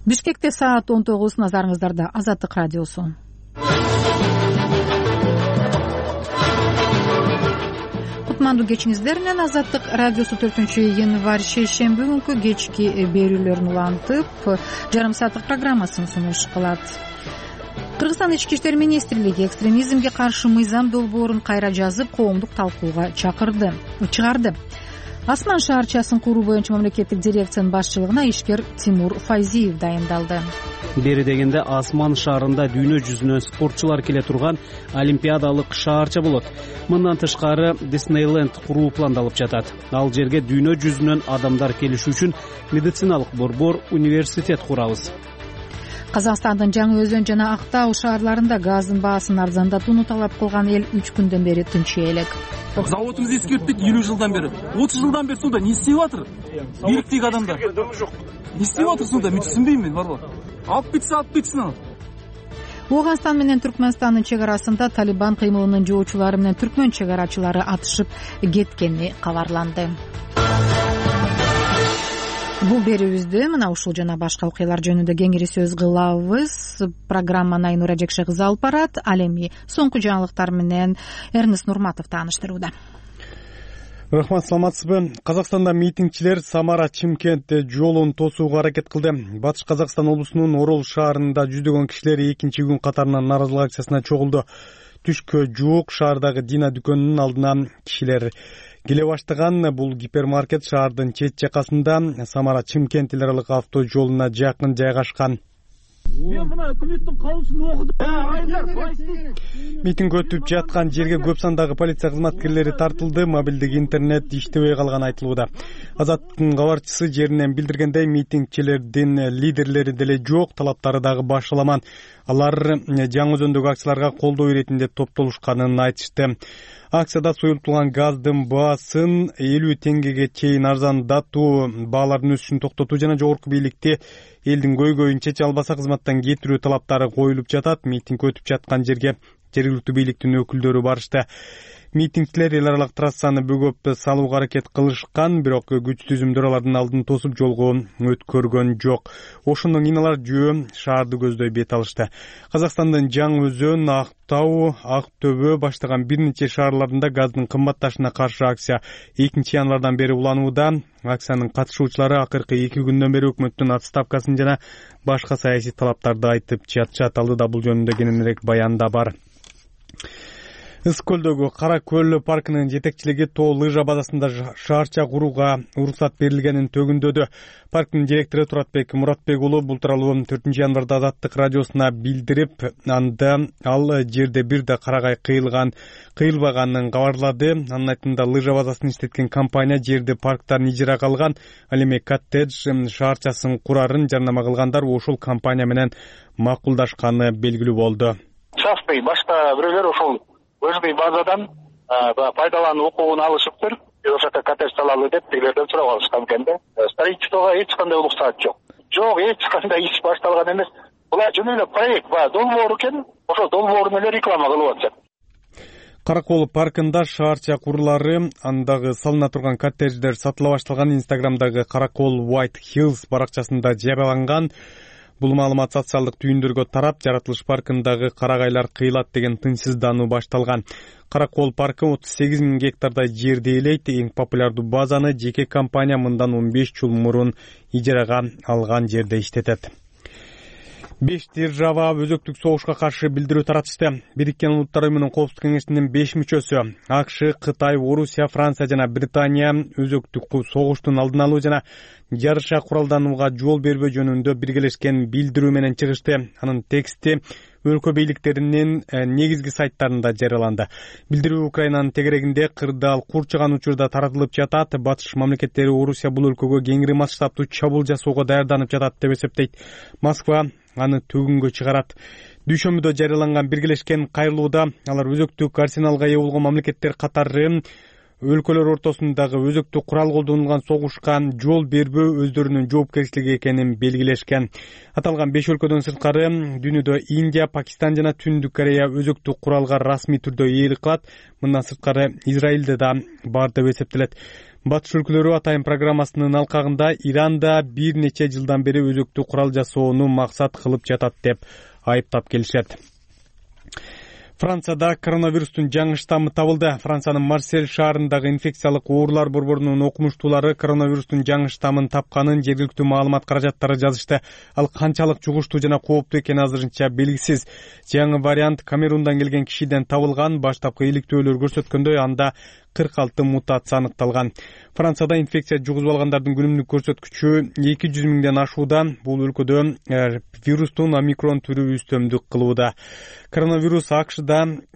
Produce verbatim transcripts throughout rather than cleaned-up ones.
Бишкекте саат он тогуз, назарыңыздарда Азаттык радиосу. Кутмандуу кечиңиздер менен Азаттык радиосу төртүнчү январь шейшемби күнкү кечки берүүлөрүн улантып, жарым сааттык программасын сунуш кылат. Кыргызстан ички иштер министрлиги экстремизмге каршы мыйзам долбоорун кайра жазып, коомдук талкууга чакырды, чыгарды. Асман шаарчасын куруу боюнча мамлекеттик дирекциянын башчылыгына ишкер Тимур Файзиев дайындалды. Бери дегенде Асман шаарында дүйнө жүзүнөн спортчулар келе турган олимпиадалык шаарча болот. Мындан тышкары Диснейленд куруу пландалып жатат. Ал жерге дүйнө жүзүнөн адамдар келиши үчүн медициналык борбор, университет курабыз. Казакстандын Жаңы Өзөн жана Актау шаарларында газдын баасын арзандатууну талап кылган эл үч күндөн бери тынчый элек. Заводубузду эскерттик элүү жылдан бери. отуз жылдан бери суда не истеп атыр? Бийликтеги адамдар. Не истеп атыр суда? Мен түшүнбөйм мен, барбы? Алып кетсе, алып кетсин ал. Ооганстан менен Түркмөнстандын чек арасында Талибан кыймылынын жоочулары менен түркмөн чек арачылары атышып кеткени кабарланды. Бул берүүбүздү мына ушул жана башка окуялар жөнүндө кеңири сөз кылабыз. Программаны Айнура Жекше кызы алып барат. Ал эми соңку жаңылыктар менен Эрнест Нурматов тааныштырууда. Рахмат, саламатсызбы? Казакстанда митингчилер Самара-Чымкент жолун тосууга аракет кылды. Батыш Казакстан облусунун Орол шаарында жүздөгөн кишилер экинчи күн катарынан нааразылык акциясына чогулду. Түшкө жуук шаардагы Дина дүкөнүнүн алдына кишилер келе баштаган. Бул гипермаркет шаардын чет жакасында Самара-Чымкент эл аралык авто жолуна жакын жайгашкан. Мен мына өкмөттүн каулусун окудум. Митинг өтүп жаткан жерге көп сандагы полиция кызматкерлери тартылды. Мобилдик интернет иштебей калганы айтылууда. Азаттыктын кабарчысы жеринен билдиргендей, митингчилердин лидерлери деле жок, талаптары дагы башаламан. Алар Жаңы Өзөндөгү акцияларга колдоо беретин деп топтолушканын айтышты. Акцияда суюлтулган газдын баасын элүү теңгеге чейин арзандатуу, баалардын өсүшүн токтотуу жана жогорку бийликти элдин көйгөйүн чече албаса кызматтан кетирүү талаптары коюлуп жатат. Митинг өтүп жаткан жерге жергиликтүү бийликтин өкүлдөрү барышты. Митингчилер эл аралык трассаны бөгөп салууга аракет кылышкан, бирок күч түзүмдөр алардын алдын тосуп жолго өткөргөн жок. Ошондон кийин алар жөө шаарды көздөй бет алышты. Казакстандын Жаңы Өзөн, Актау, Ак Төбө баштаган бир нече шаарларында газдын кымбатташына каршы акция экинчи январдан бери уланууда. Акциянын катышуучулары акыркы эки күндөн бери өкмөттүн отставкасын жана башка саясий талаптарды айтып жатышат. Алдыда бул жөнүндө кененирээк баян да бар. Ысык көлдөгү Кара көл паркынын жетекчилиги тоо лыжа базасында шаарча курууга уруксат берилгенин төгүндөдү. Парктын директору Туратбек Муратбек уулу бул тууралуу төртүнчү январда Азаттык радиосуна билдирип, анда ал жерде бир да карагай кыйылган кыйылбаганын кабарлады. Анын айтымында лыжа базасын иштеткен компания жерди парктан ижарага алган. Ал эми коттедж шаарчасын курарын жарнама кылгандар ошол компания менен макулдашканы белгилүү болду. Частый башка бирөөлөр ошол өзбүй базадан пайдалануу укугун алышыптыр. Ошол жака коттедж салалы деп тигилерден сурап алышкан экен да. Строительствого эч кандай уруксат жок. Жок, эч кандай иш башталган эмес. Бул жөн эле проект бар, долбоор экен. Ошол долбоорун эле реклама кылып атышат. Каракол паркында шаарча курулары, андагы салына турган коттедждер сатыла башталган. Инстаграмдагы Каракол White Hills баракчасында жарыяланган. Бул маалымат социалдык түйүндөргө тарап, жаратылыш паркындагы карагайлар кыйлат деген тынчсыздануу башталган. Каракол паркы отуз сегиз миң гектардай жерди ээлейт. Эң популярдуу базаны жеке компания мындан он беш жыл мурун ижарага алган жерде иштетет. Беш держава өзөктүк согушка каршы билдирүү таратышты. Бириккен Улуттар Уюмунун Коопсуздук кеңешинин беш мүчөсү АКШ, Кытай, Орусия, Франция жана Британия өзөктүк согуштун алдын алуу жана жарыша куралданууга жол бербөө жөнүндө биргелешкен билдирүү менен чыгышты. Анын тексти өлкө бийликтеринин негизги сайттарында жарыяланды. Билдирүү Украинанын тегерегинде кырдаал курчаган учурда таратылып жатат. Батыш мамлекеттери Орусия бул өлкөгө кеңири масштабтуу чабуул жасоого даярданып жатат деп эсептейт. Москва аны төгүнгө чыгарат. Дүйшөмбүдө жарыяланган биргелешкен кайрылууда алар өзөктүк арсеналга ээ болгон мамлекеттер катары өлкөлөр ортосундагы өзөктүк курал колдонулган согушка жол бербөө өздөрүнүн жоопкерчилиги экенин белгилешкен. Аталган беш өлкөдөн сырткары дүйнөдө Индия, Пакистан жана Түндүк Корея өзөктүк куралга расмий түрдө ээлик кылат. Мындан сырткары Израилде да бар деп эсептелет. Батыш өлкөлөрү атайын программасынын алкагында Иранда бир нече жылдан бери өзөктүү курал жасоону максат кылып жатат деп айыптап келишет. Францияда коронавирустун жаңы штаммы табылды. Франциянын Марсель шаарындагы инфекциялык оорулар борборунун окумуштуулары коронавирустун жаңы штаммын тапканын жергиликтүү маалымат каражаттары жазышты. Ал канчалык жугуштуу жана кооптуу экени азырынча белгисиз. Жаңы вариант Камерундан келген кишиден табылган. Баштапкы иликтөөлөр көрсөткөндөй, анда кырк алты мутация аныкталган. Францияда инфекция жугузуп алгандардын күнүмдүк көрсөткүчү эки жүз миңден ашууда. Бул өлкөдө вирустун омикрон түрү үстөмдүк кылууда. Коронавирус АКШда,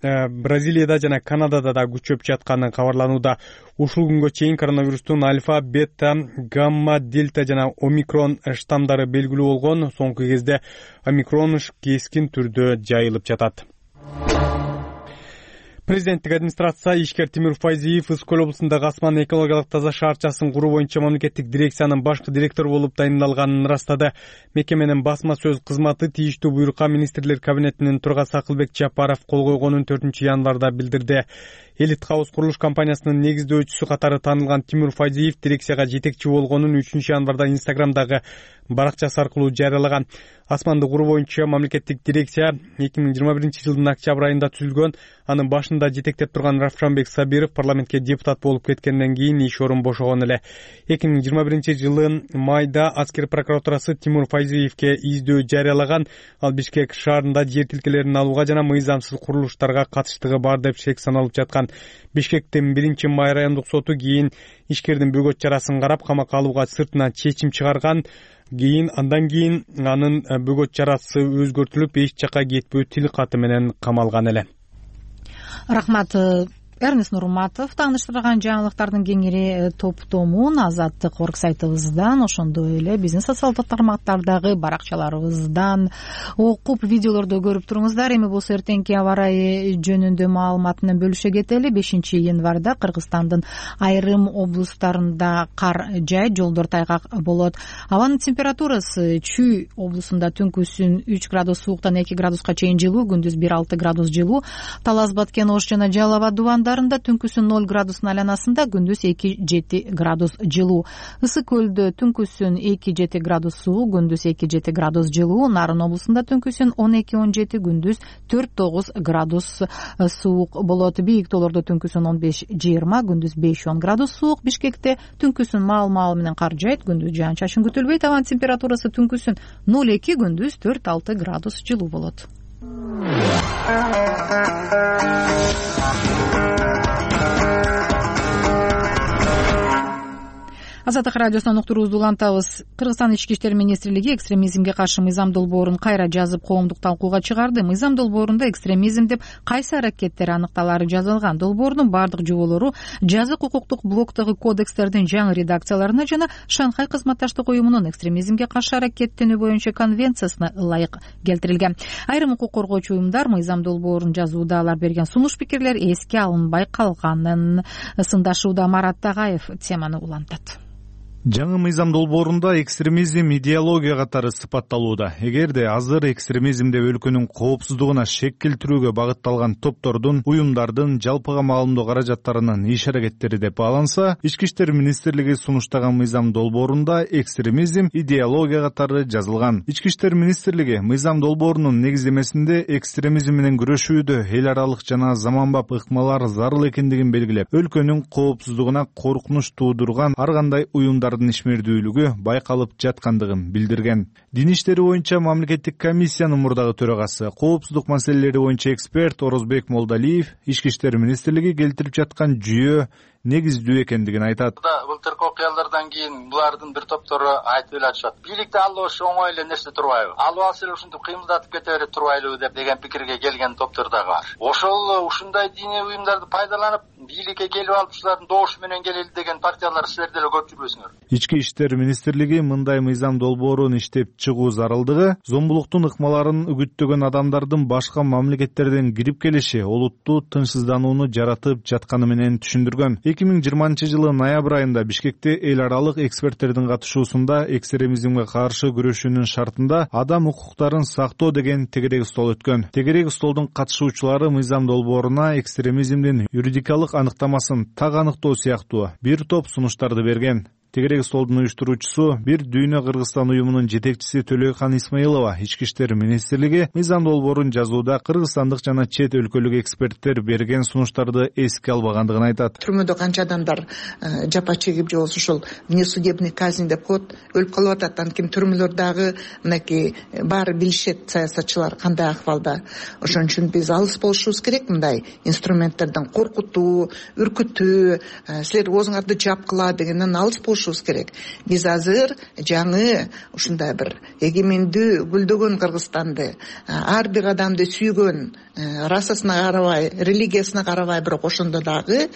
Бразилияда жана Канадада да күчөп жатканы кабарланууда. Ушул күнгө чейин коронавирустун альфа, бета, гамма, дельта жана омикрон штамдары белгилүү болгон. Соңку кезде омикрон кескин түрдө жайылып жатат. Президенттик администрация ишкер Тимур Файзиев Ысык-Көл облусундагы Асман экологиялык таза шаарчасын куруу боюнча мамлекеттик дирекциянын башкы директору болуп тайындалганын ырастады. Мекеменин басма сөз кызматы тийиштүү буйрукка министрлер кабинетинин төрагасы Акылбек Жапаров кол койгонун төртүнчү январда билдирди. Элит Хаус курулуш компаниясынын негиздөөчүсү катары таанылган Тимур Файзиев дирекцияга жетекчи болгонун үчүнчү январда Инстаграмдагы баракчасы аркылуу жарыялаган. Асманды куруу боюнча мамлекеттик дирекция эки миң жыйырма биринчи жылдын октябрь айында түзүлгөн. Анын башында жетектеп турган Равшанбек Сабиров парламентке депутат болуп кеткенден кийин иш орун бошогон эле. эки миң жыйырма биринчи жылы майда аскер прокуратурасы Тимур Файзиевке издөө жарыялаган. Ал Бишкек шаарында жер тилкелерин алууга жана мыйзамсыз курулуштарга катыштыгы бар деп шек саналып жаткан. Бишкектин биринчи май райондук соту кийин ишкердин бөгөт чарасын карап камакка алууга сыртынан чечим чыгарган. Кийин андан кийин анын бөгөт чарасы өзгөртүлүп, эч жака кетпөө тил каты менен камалган эле. Рахмат. Эрнест Нурматов тааныштырган жаңылыктардын кеңири топтомун Азаттык орг сайтыбыздан, ошондой эле биздин социалдык тармактардагы баракчаларыбыздан окуп, видеолорду көрүп туруңуздар. Эми болсо эртеңки аба ырайы жөнүндө маалымат менен бөлүшө кетели. бешинчи январда Кыргызстандын айрым облустарында кар жайт, жолдор тайгак болот. Абанын температурасы Чүй облусунда түнкүсүн үч градус сууктан эки градуска чейин жылуу, күндүз бир алты градус жылуу. Талас, Баткен, Ош жана Жалал Абад дубанда түнкүсүн ноль градустун айланасында, күндүз эки жети градус жылуу. Ысык-Көлдө түнкүсүн эки жети градус суук, күндүз эки жети градус жылуу. Нарын облусунда түнкүсүн он эки он жети, күндүз төрт тогуз градус суук болот. Бийик тоолордо түнкүсүн он беш жыйырма, күндүз беш он градус суук. Бишкекте түнкүсүн маал-маал менен кар жайт, күндүз жаан-чачын күтүлбөйт. Абанын температурасы түнкүсүн ноль эки, күндүз төрт алты градус жылуу болот. Азаттык радиосунан уктуруубузду улантабыз. Кыргызстан ички иштер министрлиги экстремизмге каршы мыйзам долбоорун кайра жазып коомдук талкууга чыгарды. Мыйзам долбоорунда экстремизм деп кайсы аракеттер аныкталары жазылган. Долбоордун бардык жоболору жазык укуктук блоктогу кодекстердин жаңы редакцияларына жана Шанхай кызматташтык уюмунун экстремизмге каршы аракеттенүү боюнча конвенциясына ылайык келтирилген. Айрым укук коргоочу уюмдар мыйзам долбоорун жазууда алар берген сунуш пикирлер эске алынбай калганын сындашууда. Марат Тагаев теманы улантат. Жаңы мыйзам долбоорунда экстремизм идеология катары сыпатталууда. Эгерде азыр экстремизмде өлкөнүн коопсуздугуна шек келтирүүгө багытталган топтордун, уюмдардын жалпыга маалымдоо каражаттарынын иш аракеттери деп бааланса, ички иштер министрлиги сунуштаган мыйзам долбоорунда экстремизм идеология катары жазылган. Ички иштер министрлиги мыйзам долбоорунун негиздемесинде экстремизм менен күрөшүүдө эл аралык жана заманбап ыкмалар зарыл экендигин белгилеп, өлкөнүн коопсуздугуна коркунуч туудурган ар кандай уюмдар ишмердүүлүгү байкалып жаткандыгын билдирген. Дин иштери боюнча мамлекеттик комиссиянын мурдагы төрагасы, коопсуздук маселелери боюнча эксперт Орозбек Молдалиев ички иштер министрлиги келтирип жаткан жүйө негиздүү экендигин айтат. Былтыркы окуялардан кийин булардын бир топтору айтып эле атышат. Бийликти алуу ушу оңой эле нерсе турбайбы? Алып алса эле ушинтип кыймылдатып кете берет турбайлыбы деп деген пикирге келген топтор дагы бар. Ошол ушундай диний уюмдарды пайдаланып, бийликке келип алып ушулардын добушу менен келели деген партиялар силер деле көп жүрбөсүңөр. Ички иштер министрлиги мындай мыйзам долбоорун иштеп чыгуу зарылдыгы зомбулуктун ыкмаларын үгүттөгөн адамдардын башка мамлекеттерден кирип келиши олуттуу тынчсызданууну жаратып жатканы менен түшүндүргөн. эки миң жыйырманчы жылы ноябрь айында Бишкекте эл аралык эксперттердин катышуусунда экстремизмге каршы күрөшүүнүн шартында адам укуктарын сактоо деген тегерек стол өткөн. Тегерек столдун катышуучулары мыйзам долбооруна экстремизмдин юридикалык ылдымдык аныктамасын так аныктоо сыяктуу бир топ сунуштарды берген. Тегерек столдун уюштуруучусу Бир Дүйнө Кыргызстан уюмунун жетекчиси Төлөйкан Исмаилова Ички иштер министрлиги мыйзам долбоорун жазууда кыргызстандык жана чет өлкөлүк эксперттер берген сунуштарды эске албагандыгын айтат. Түрмөдө канча адамдар жапа чегип же болбосо ошол внесудебный казнь деп коет, өлүп калып атат. Анткени түрмөлөрдөгү мынакей баары билишет саясатчылар кандай акыбалда. Ошон үчүн биз алыс болушубуз керек мындай инструменттерден, коркутуу, үркүтүү, силер оозуңарды жапкыла дегенден алыс болуш керек. Биз азыр жаңы ушундай бир эгемендүү гүлдөгөн Кыргызстанды, ар бир адамды сүйгөн, расасына карабай, религиясына карабай, бирок ошондо дагы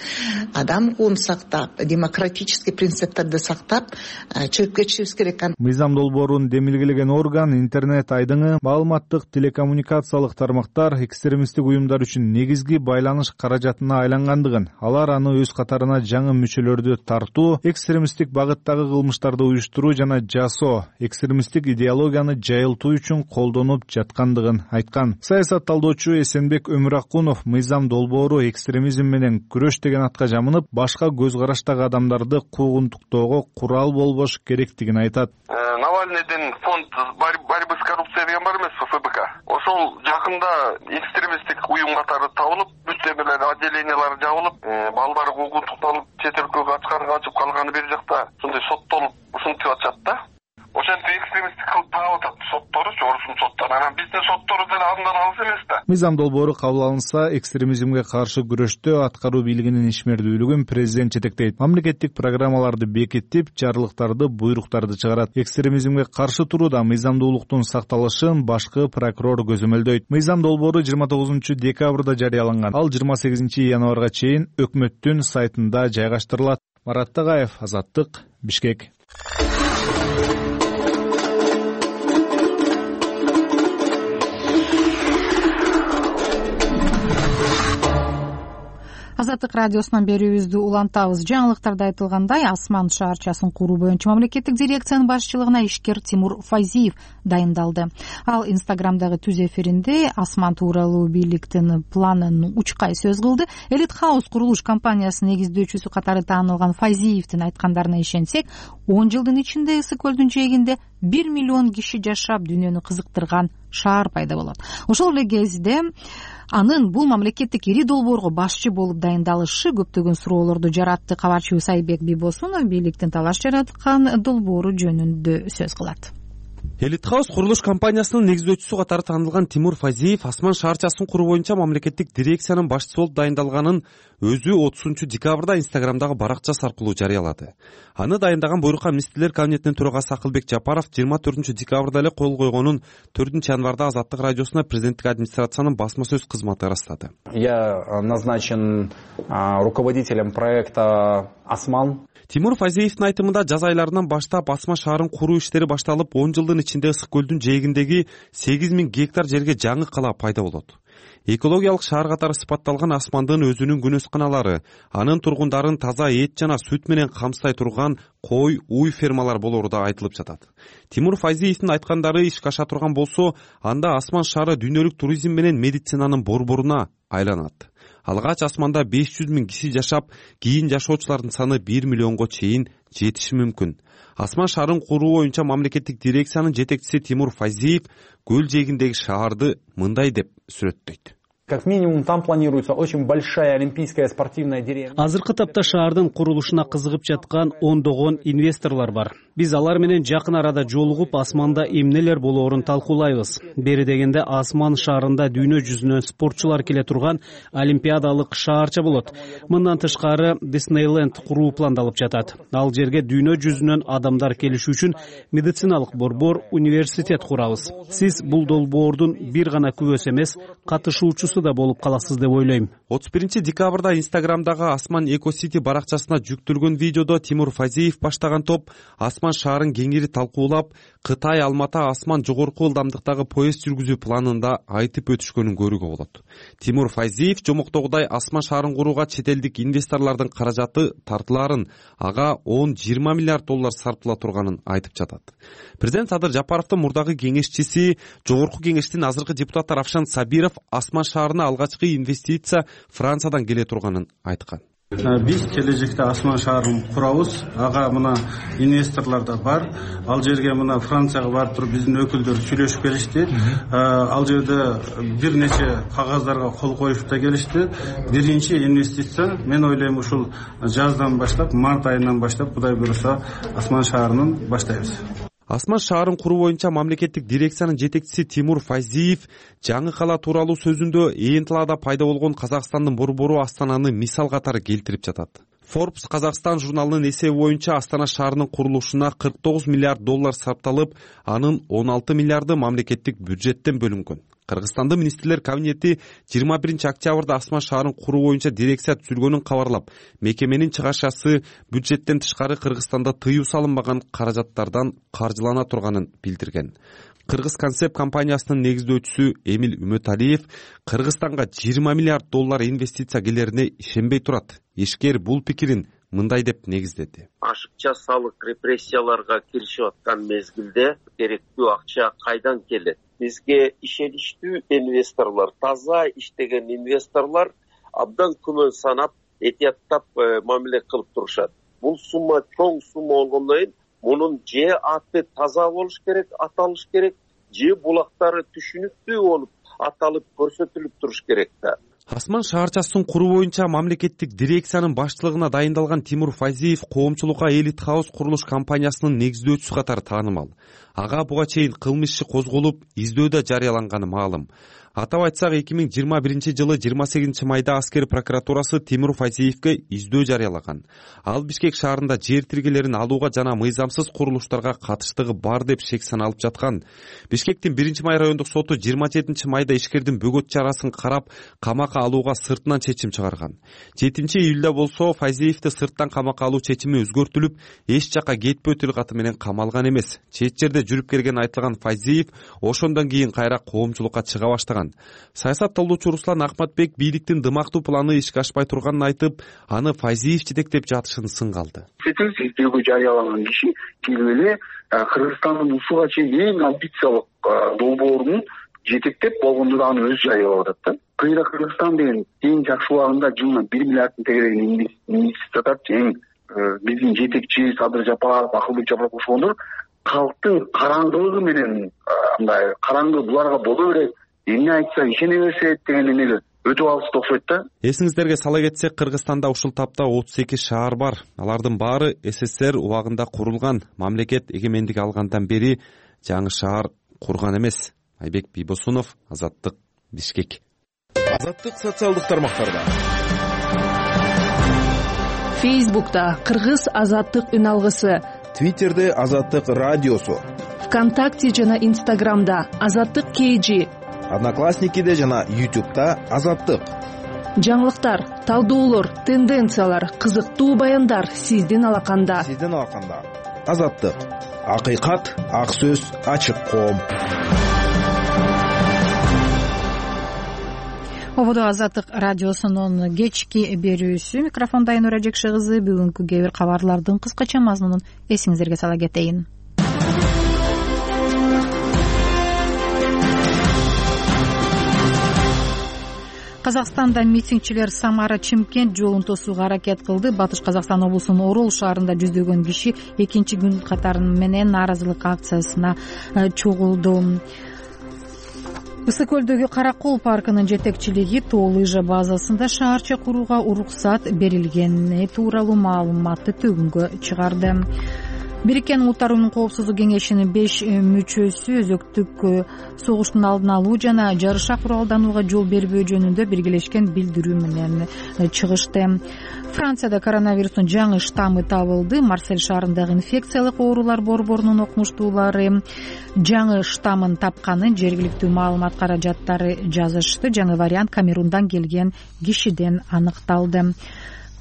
адам укугун сактап, демократический принциптерди сактап чыгып кетишибиз керек. Мыйзам долбоорун демилгелеген орган интернет айдыңы маалыматтык телекоммуникациялык тармактар экстремисттик уюмдар үчүн негизги байланыш каражатына айлангандыгын, алар аны өз катарына жаңы мүчөлөрдү тартуу, экстремисттик багыттагы кылмыштарды уюштуруу жана жасоо, экстремисттик идеологияны жайылтуу үчүн колдонуп жаткандыгын айткан. Саясат талдоочу Эсенбек Өмүракунов мыйзам долбоору экстремизм менен күрөш деген атка жамынып, башка көз караштагы адамдарды куугунтуктоого курал болбош керектигин айтат. Навальныйдын фонд борьбы с коррупцией деген бар эмеспи, эф бэ ка. Ошол жакында экстремисттик уюм катары табылып, бүттөмөлөр отделениялары жабылып, балдары куугунтукталып, чет өлкөгө ачкарга качып калганы бир жакта ушундай соттолуп ушинтип атышат да. Ошентип экстремисттик кылып таап атат сотторучу, орусун соттор. Анан биздин соттору деле андан алыс эмес да. Мыйзам долбоору кабыл алынса, экстремизмге каршы күрөштө аткаруу бийлигинин ишмердүүлүгүн президент жетектейт. Мамлекеттик программаларды бекитип, жарлыктарды, буйруктарды чыгарат. Экстремизмге каршы турууда мыйзамдуулуктун сакталышын башкы прокурор көзөмөлдөйт. Мыйзам долбоору жыйырма тогузунчу декабрда жарыяланган. Ал жыйырма сегизинчи январга чейин өкмөттүн сайтында жайгаштырылат. Марат Тагаев, Азаттык, Бишкек. Азаттык радиосунан берүүбүздү улантабыз. Жаңылыктарда айтылгандай, Асман шаарчасын куруу боюнча мамлекеттик дирекциянын башчылыгына ишкер Тимур Файзиев дайындалды. Ал Инстаграмдагы түз эфиринде Асман тууралуу бийликтин планын учкай сөз кылды. Элит Хаус курулуш компаниясынын негиздөөчүсү катары таанылган Файзиевдин айткандарына ишенсек, он жылдын ичинде Ысык көлдүн жээгинде бир миллион киши жашап дүйнөнү кызыктырган шаар пайда болот. Ошол эле кезде анын бул мамлекеттик ири долбоорго башчы болуп дайындалышы көптөгөн суроолорду жаратты. Кабарчыбыз Айбек Бибосунов бийликтин талаш жараткан долбоору жөнүндө сөз кылат. Элит Хаус курулуш компаниясынын негиздөөчүсү катары таанылган Тимур Файзиев Асман шаарчасын куруу боюнча мамлекеттик дирекциянын башчысы болуп дайындалганын өзү отузунчу декабрда Инстаграмдагы баракчасы аркылуу жарыялады. Аны дайындаган буйрукка министрлер кабинетинин төрагасы Акылбек Жапаров жыйырма төртүнчү декабрда эле кол койгонун төртүнчү январда Азаттык радиосуна президенттик администрациянын басма сөз кызматы ырастады. Я назначен руководителем проекта Асман. Тимур Файзиевдин айтымында жаз айларынан баштап Асман шаарын куруу иштери башталып, он жылдын ичинде Ысык көлдүн жээгиндеги сегиз миң гектар жерге жаңы кала пайда болот. Экологиялык шаар катары сыпатталган Асмандын өзүнүн күнөс каналары, анын тургундарын таза эт жана сүт менен камсыздай турган кой, уй фермалар болору да айтылып жатат. Тимур Файзиевдин айткандары ишке аша турган болсо, анда Асман шаары дүйнөлүк туризм менен медицинанын борборуна айланат. Алгач Асманда беш жүз миң киши жашап, кийин жашоочулардын саны бир миллионго чейин жетиши мүмкүн. Асман шаарын куруу боюнча мамлекеттик дирекциянын жетекчиси Тимур Файзиев көл жээгиндеги шаарды мындай деп сүрөттөйт. Как минимум там планируется очень большая олимпийская спортивная деревня. Азыркы тапта шаардын курулушуна кызыгып жаткан ондогон инвесторлор бар. Биз алар менен жакын арада жолугуп, Асманда эмнелер болоорун талкуулайбыз. Бери дегенде Асман шаарында дүйнө жүзүнөн спортчулар келе турган олимпиадалык шаарча болот. Мындан тышкары Disneyland куруу пландалып жатат. Ал жерге дүйнө жүзүнөн адамдар келиши үчүн медициналык борбор, университет курабыз. Сиз бул долбоордун бир гана күбөсү эмес, катышуучусу да болуп каласыз деп ойлойм. отуз биринчи декабрда Инстаграмдагы Асман Экосити баракчасына жүктөлгөн видеодо Тимур Файзиев баштаган топ Асман шаарын кеңири талкуулап, Кытай Алмата Асман жогорку ылдамдыктагы поезд жүргүзүү планында айтып өтүшкөнүн көрүүгө болот. Тимур Файзиев жомоктогудай Асман шаарын курууга чет элдик инвесторлордун каражаты тартылаарын, ага он жыйырма миллиард доллар сарптала турганын айтып жатат. Президент Садыр Жапаровдун мурдагы кеңешчиси, жогорку кеңештин азыркы депутаты Равшан Сабиров Асман шаарын шаарына алгачкы инвестиция Франциядан келе турганын айткан. Биз келечекте Асман шаарын курабыз. Ага мына инвесторлор да бар. Ал жерге мына Францияга барып туруп биздин өкүлдөр сүйлөшүп келишти. Ал жерде бир нече кагаздарга кол коюп да келишти. Биринчи инвестиция мен ойлойм ушул жаздан баштап, март айынан баштап Кудай буйруса Асман шаарынын баштайбыз. Асман шаарын куруу боюнча мамлекеттик дирекциянын жетекчиси Тимур Файзиев жаңы кала тууралуу сөзүндө ээн талаада пайда болгон Казакстандын борбору Астананы мисал катары келтирип жатат. Forbes Казакстан журналынын эсеби боюнча Астана шаарынын курулушуна кырк тогуз миллиард доллар сарпталып, анын он алты миллиарды мамлекеттик бюджеттен бөлүнгөн. Кыргызстандын министрлер кабинети жыйырма биринчи октябрда Асман шаарын куруу боюнча дирекция түзүлгөнүн кабарлап, мекеменин чыгашасы бюджеттен тышкары Кыргызстанда тыюу салынбаган каражаттардан каржылана турганын билдирген. Кыргыз концепт компаниясынын негиздөөчүсү Эмил Үмөталиев Кыргызстанга жыйырма миллиард доллар инвестиция келерине ишенбей турат. Ишкер бул пикирин мындай деп негиздеди. Ашыкча салык репрессияларга киришип аткан мезгилде керектүү акча кайдан келет? Бизге ишеничтүү инвесторлор, таза иштеген инвесторлор абдан күмөн санап, этияттап мамиле кылып турушат. Бул сумма чоң сумма болгондон кийин мунун же аты таза болуш керек, аталыш керек, же булактары түшүнүктүү болуп аталып көрсөтүлүп туруш керек да. Асман шаарчасын куруу боюнча мамлекеттик дирекциянын баштылыгына дайындалган Тимур Файзиев коомчулукка Элит Хаус курулуш компаниясынын негиздөөчүсү катары таанымал. Ага буга чейин кылмыш иши козголуп, издөөдө жарыяланганы маалым. Атап айтсак, эки миң жыйырма биринчи жылы жыйырма сегизинчи майда аскер прокуратурасы Тимур Файзиевке издөө жарыялаган. Ал Бишкек шаарында жер тиргелерин алууга жана мыйзамсыз курулуштарга катыштыгы бар деп шек саналып жаткан. Бишкектин биринчи май райондук соту жыйырма жетинчи майда ишкердин бөгөт чарасын карап, камакка алууга сыртынан чечим чыгарган. жетинчи июлда болсо Файзиевди сырттан камакка алуу чечими өзгөртүлүп, эч жака кетпөө тилкаты менен камалган эмес. Чет жерде жүрүп келген айтылган Файзиев ошондон кийин кайра коомчулукка чыга баштаган. Саясат талдоочу Руслан Акматбек бийликтин дымактуу планы ишке ашпай турганын айтып, аны Файзиев жетектеп жатышын сынга алды. Сетил издөөгө жарыялаган киши келип эле Кыргызстандын ушуга чейин эң амбициялык долбоорун жетектеп болгондо да аны өзү жарыялап атат да. Кыйра Кыргызстан деген эң жакшы убагында жылына бир миллиардтын тегерегин инвестиция атат. Эң биздин жетекчи Садыр Жапаров, Акылбек Жапаров ошондор калктын караңгылыгы менен мындай караңгы буларга боло берет, эмне айтса ишене беришет деген эмеге өтүп алышты окшойт да. Эсиңиздерге сала кетсек, Кыргызстанда ушул тапта отуз эки шаар бар. Алардын баары СССР убагында курулган. Мамлекет эгемендик алгандан бери жаңы шаар курган эмес. Айбек Бийбосунов, Азаттык, Бишкек. Азаттык социалдык тармактарда. Фейсбукта Кыргыз Азаттык үн алгысы, Твиттерде Азаттык радиосу, ВКонтакте жана Инстаграмда Азаттык кейжи, Одноклассникиде жана Ютубта Азаттык. Жаңылыктар, талдоолор, тенденциялар, кызыктуу баяндар сиздин алаканда. Сиздин алаканда. Азаттык. Акыйкат, ак сөз, ачык коом. Ободо Азаттык радиосунун кечки берүүсү. Микрофонда Айнура Жекше кызы. Бүгүнкү кээ бир кабарлардын кыскача мазмунун эсиңиздерге сала кетейин. Казакстанда митингчилер Самара Чымкент жолун тосууга аракет кылды. Батыш Казакстан облусунун Орол шаарында жүздөгөн киши экинчи күн катары менен нааразылык акциясына чогулду. Ысык көлдөгү Каракол паркынын жетекчилиги тоо лыжа базасында шаарча курууга уруксат берилгени тууралуу маалыматты төгүнгө чыгарды. Бириккен Улуттар Уюмунун Коопсуздук кеңешинин беш мүчөсү өзөктүк согуштун алдын алуу жана жарыша куралданууга жол бербөө жөнүндө биргелешкен билдирүү менен чыгышты. Францияда коронавирустун жаңы штаммы табылды. Марсель шаарындагы инфекциялык оорулар борборунун окумуштуулары жаңы штаммын тапканын жергиликтүү маалымат каражаттары жазышты. Жаңы вариант Камерундан келген кишиден аныкталды.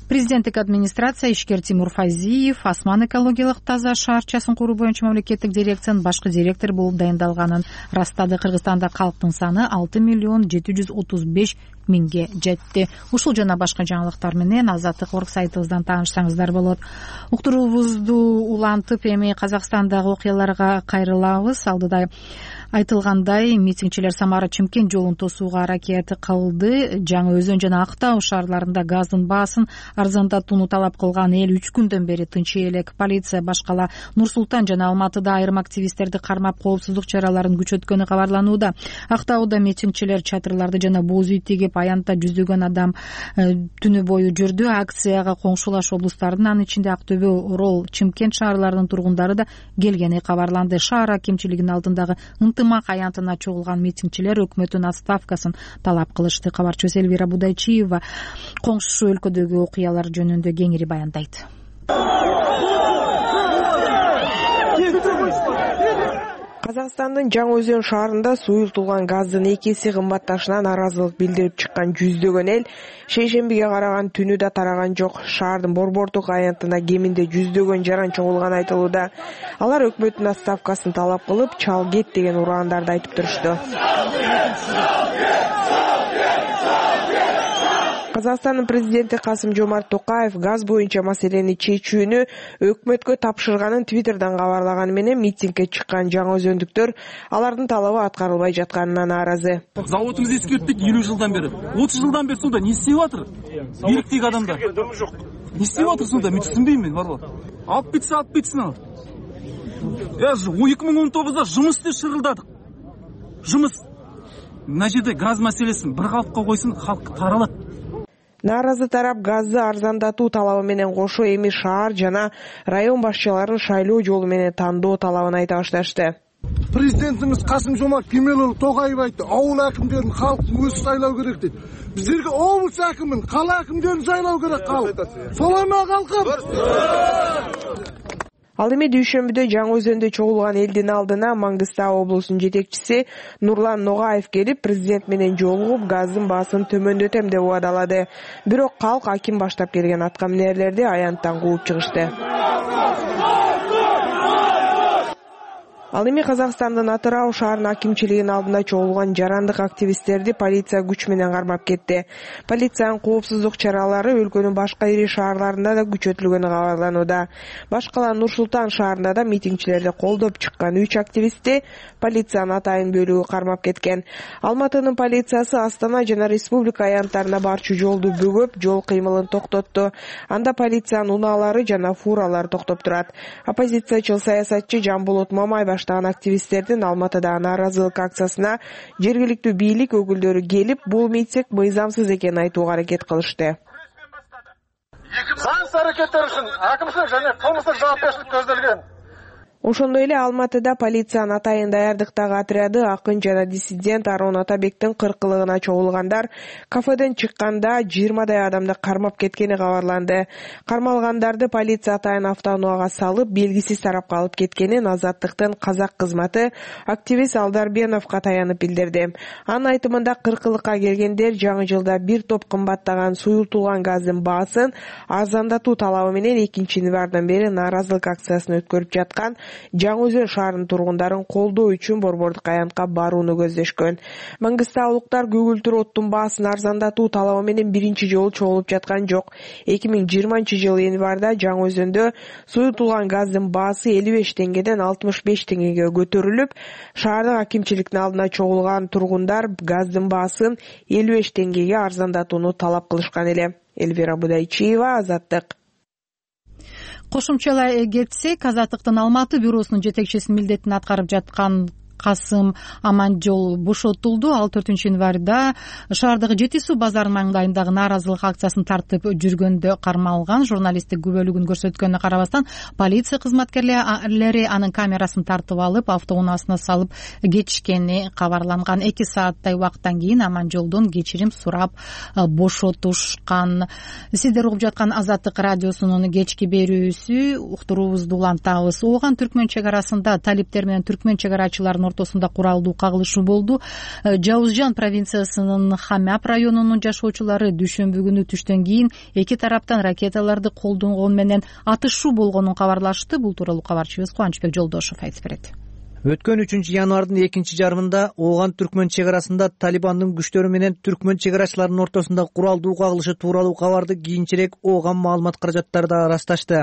Президенттик администрация ишкер Тимур Файзиев Асман экологиялык таза шаарчасын куруу боюнча мамлекеттик дирекциянын башкы директору болуп дайындалганын растады. Кыргызстанда калктын саны алты миллион жети жүз отуз беш миңге жетти. Ушул жана башка жаңылыктар менен Азаттык орг сайтыбыздан таанышсаңыздар болот. Уктуруубузду улантып эми Казакстандагы окуяларга кайрылабыз. Алдыда айтылгандай, митингчилер Самара Чымкент жолун тосууга аракет кылды. Жаңы Өзөн жана Актау шаарларында газдын баасын арзандатууну талап кылган эл үч күндөн бери тынч элек. Полиция башкала Нур Султан жана Алматыда айрым активисттерди кармап коопсуздук чараларын күчөткөнү кабарланууда. Актауда митингчилер чатырларды жана боз үй тигип, аянтта жүздөгөн адам түнү бою жүрдү. Акцияга коңшулаш облустардын, анын ичинде Актөбө, Орол, Чымкент шаарларынын тургундары да келгени кабарланды. Шаар акимчилигинин алдындагы ынтымак аянтына чогулган митингчилер өкмөттүн отставкасын талап кылышты. Кабарчыбыз Элвира Будайчиева коңшу өлкөдөгү окуялар жөнүндө кеңири баяндайт. Казакстандын Жаңы Өзөн шаарында суюлтулган газдын эки эсе кымбатташына нааразылык билдирип чыккан жүздөгөн эл шейшембиге караган түнү да тараган жок. Шаардын Борбордук аянтына кеминде жүздөгөн жаран чогулганы айтылууда. Алар өкмөттүн отставкасын талап кылып, чал кет деген ураандарды айтып турушту. Казакстандын президенти Касым-Жомарт Токаев газ боюнча маселени чечүүнү өкмөткө тапшырганын Твиттерден кабарлаганы менен митингге чыккан жаңы өзөндүктөр алардын талабы аткарылбай жатканына нааразы. Заводубуз эскерттик элүү жылдан бери. отуз жылдан бери сонда не істеп атыр? Бириктеги адамдар. Не істеп атыр сонда? Мен түшүнбөйм мен, барбы? Алып кетсе, алып кетсин ал. Я эки миң он тогузда жумус деп шырылдадык. Жумус. Мына жерде газ маселесин бир калыпка койсун, халк таралат. Нааразы тарап газды арзандатуу талабы менен кошо эми шаар жана район башчыларын шайлоо жолу менен тандоо талабын айта башташты. Президентimiz Касым-Жомарт Кемелұлы Тоқаев айтты, ауыл әкімдерін халық өзі сайлау керек дейді. Біздерге облыс әкімін, қала әкімдерін сайлау керек халық. Солай ма халқым? Ал эми дүйшөмбүдө Жаңы Өзөндө чогулган элдин алдына Маңгыстау облусунун жетекчиси Нурлан Ногаев келип, президент менен жолугуп, газдын баасын төмөндөтөм деп убадалады. Бирок калк аким баштап келген аткаминерлерди аянттан кууп чыгышты. Ал эми Казакстандын Атырау шаарынын акимчилигинин алдында чогулган жарандык активисттерди полиция күч менен кармап кетти. Полициянын коопсуздук чаралары өлкөнүн башка ири шаарларында да күчөтүлгөнү кабарланууда. Башкала Нур Султан шаарында да митингчилерди колдоп чыккан үч активистти полициянын атайын бөлүгү кармап кеткен. Алматынын полициясы Астана жана республика аянттарына барчу жолду бөгөп, жол кыймылын токтотту. Анда полициянын унаалары жана фуралар токтоп турат. Оппозициячыл саясатчы Жамболот Мамай баштаган активисттердин Алматыдагы нааразылык акциясына жергиликтүү бийлик өкүлдөрү келип, бул митинг мыйзамсыз экенин айтууга аракет кылышты. Заңсыз аракеттер үчүн акимчилик жана кылмыштык жоопкерчилик көзделген. Ошондой эле Алматыда полициянын атайын даярдыктагы отряды акын жана диссидент Арон Атабектин кыркылыгына чогулгандар кафеден чыкканда жыйырмадай адамды кармап кеткени кабарланды. Кармалгандарды полиция атайын автоунаага салып, белгисиз тарапка алып кеткенин Азаттыктын казак кызматы активист Алдарбеновго таянып билдирди. Анын айтымында кыркылыкка келгендер жаңы жылда бир топ кымбаттаган суюлтулган газдын баасын арзандатуу талабы менен экинчи январдан бери нааразылык акциясын өткөрүп жаткан Жаңы Өзөн шаарынын тургундарын колдоо үчүн Борбордук аянтка барууну көздөшкөн. Маңгыстаулуктар көгүлтүр оттун баасын арзандатуу талабы менен биринчи жолу чогулуп жаткан жок. эки миң жыйырманчы жылы январда Жаңы Өзөндө суюлтулган газдын баасы элүү беш теңгеден алтымыш беш теңгеге көтөрүлүп, шаардык акимчиликтин алдына чогулган тургундар газдын баасын элүү беш теңгеге арзандатууну талап кылышкан эле. Элвира Будайчиева, Азаттык. Кошумчалай кетсек, Азаттыктын Алматы бюросунун жетекчисинин милдетин аткарып жаткан Касым Аманжол бошотулду. Ал төртүнчү январда шаардагы Жети суу базарынын маңдайындагы нааразылык акциясын тартып жүргөндө кармалган. Журналисттик күбөлүгүн көрсөткөнүнө карабастан полиция кызматкерлери анын камерасын тартып алып, автоунаасына салып кетишкени кабарланган. эки сааттай убакыттан кийин Аманжолдон кечирим сурап бошотушкан. Сиздер угуп жаткан Азаттык радиосунун кечки берүүсү, уктуруубузду улантабыз. Ооган Түркмөн чек арасында талиптер менен түркмөн чек арачыларынын ортосунда куралдуу кагылышуу болду. Жауызжан провинциясынын Хамяб районунун жашоочулары дүйшөмбү күнү түштөн кийин эки тараптан ракеталарды колдонгон менен атышуу болгонун кабарлашты. Бул тууралуу кабарчыбыз Кубанычбек Жолдошов айтып берет. Өткөн үчүнчү январдын экинчи жарымында Ооган Түркмөн чек арасында Талибандын күчтөрү менен түркмөн чек арачыларынын ортосунда куралдуу кагылышы тууралуу кабарды кийинчерээк Ооган маалымат каражаттары да ырасташты.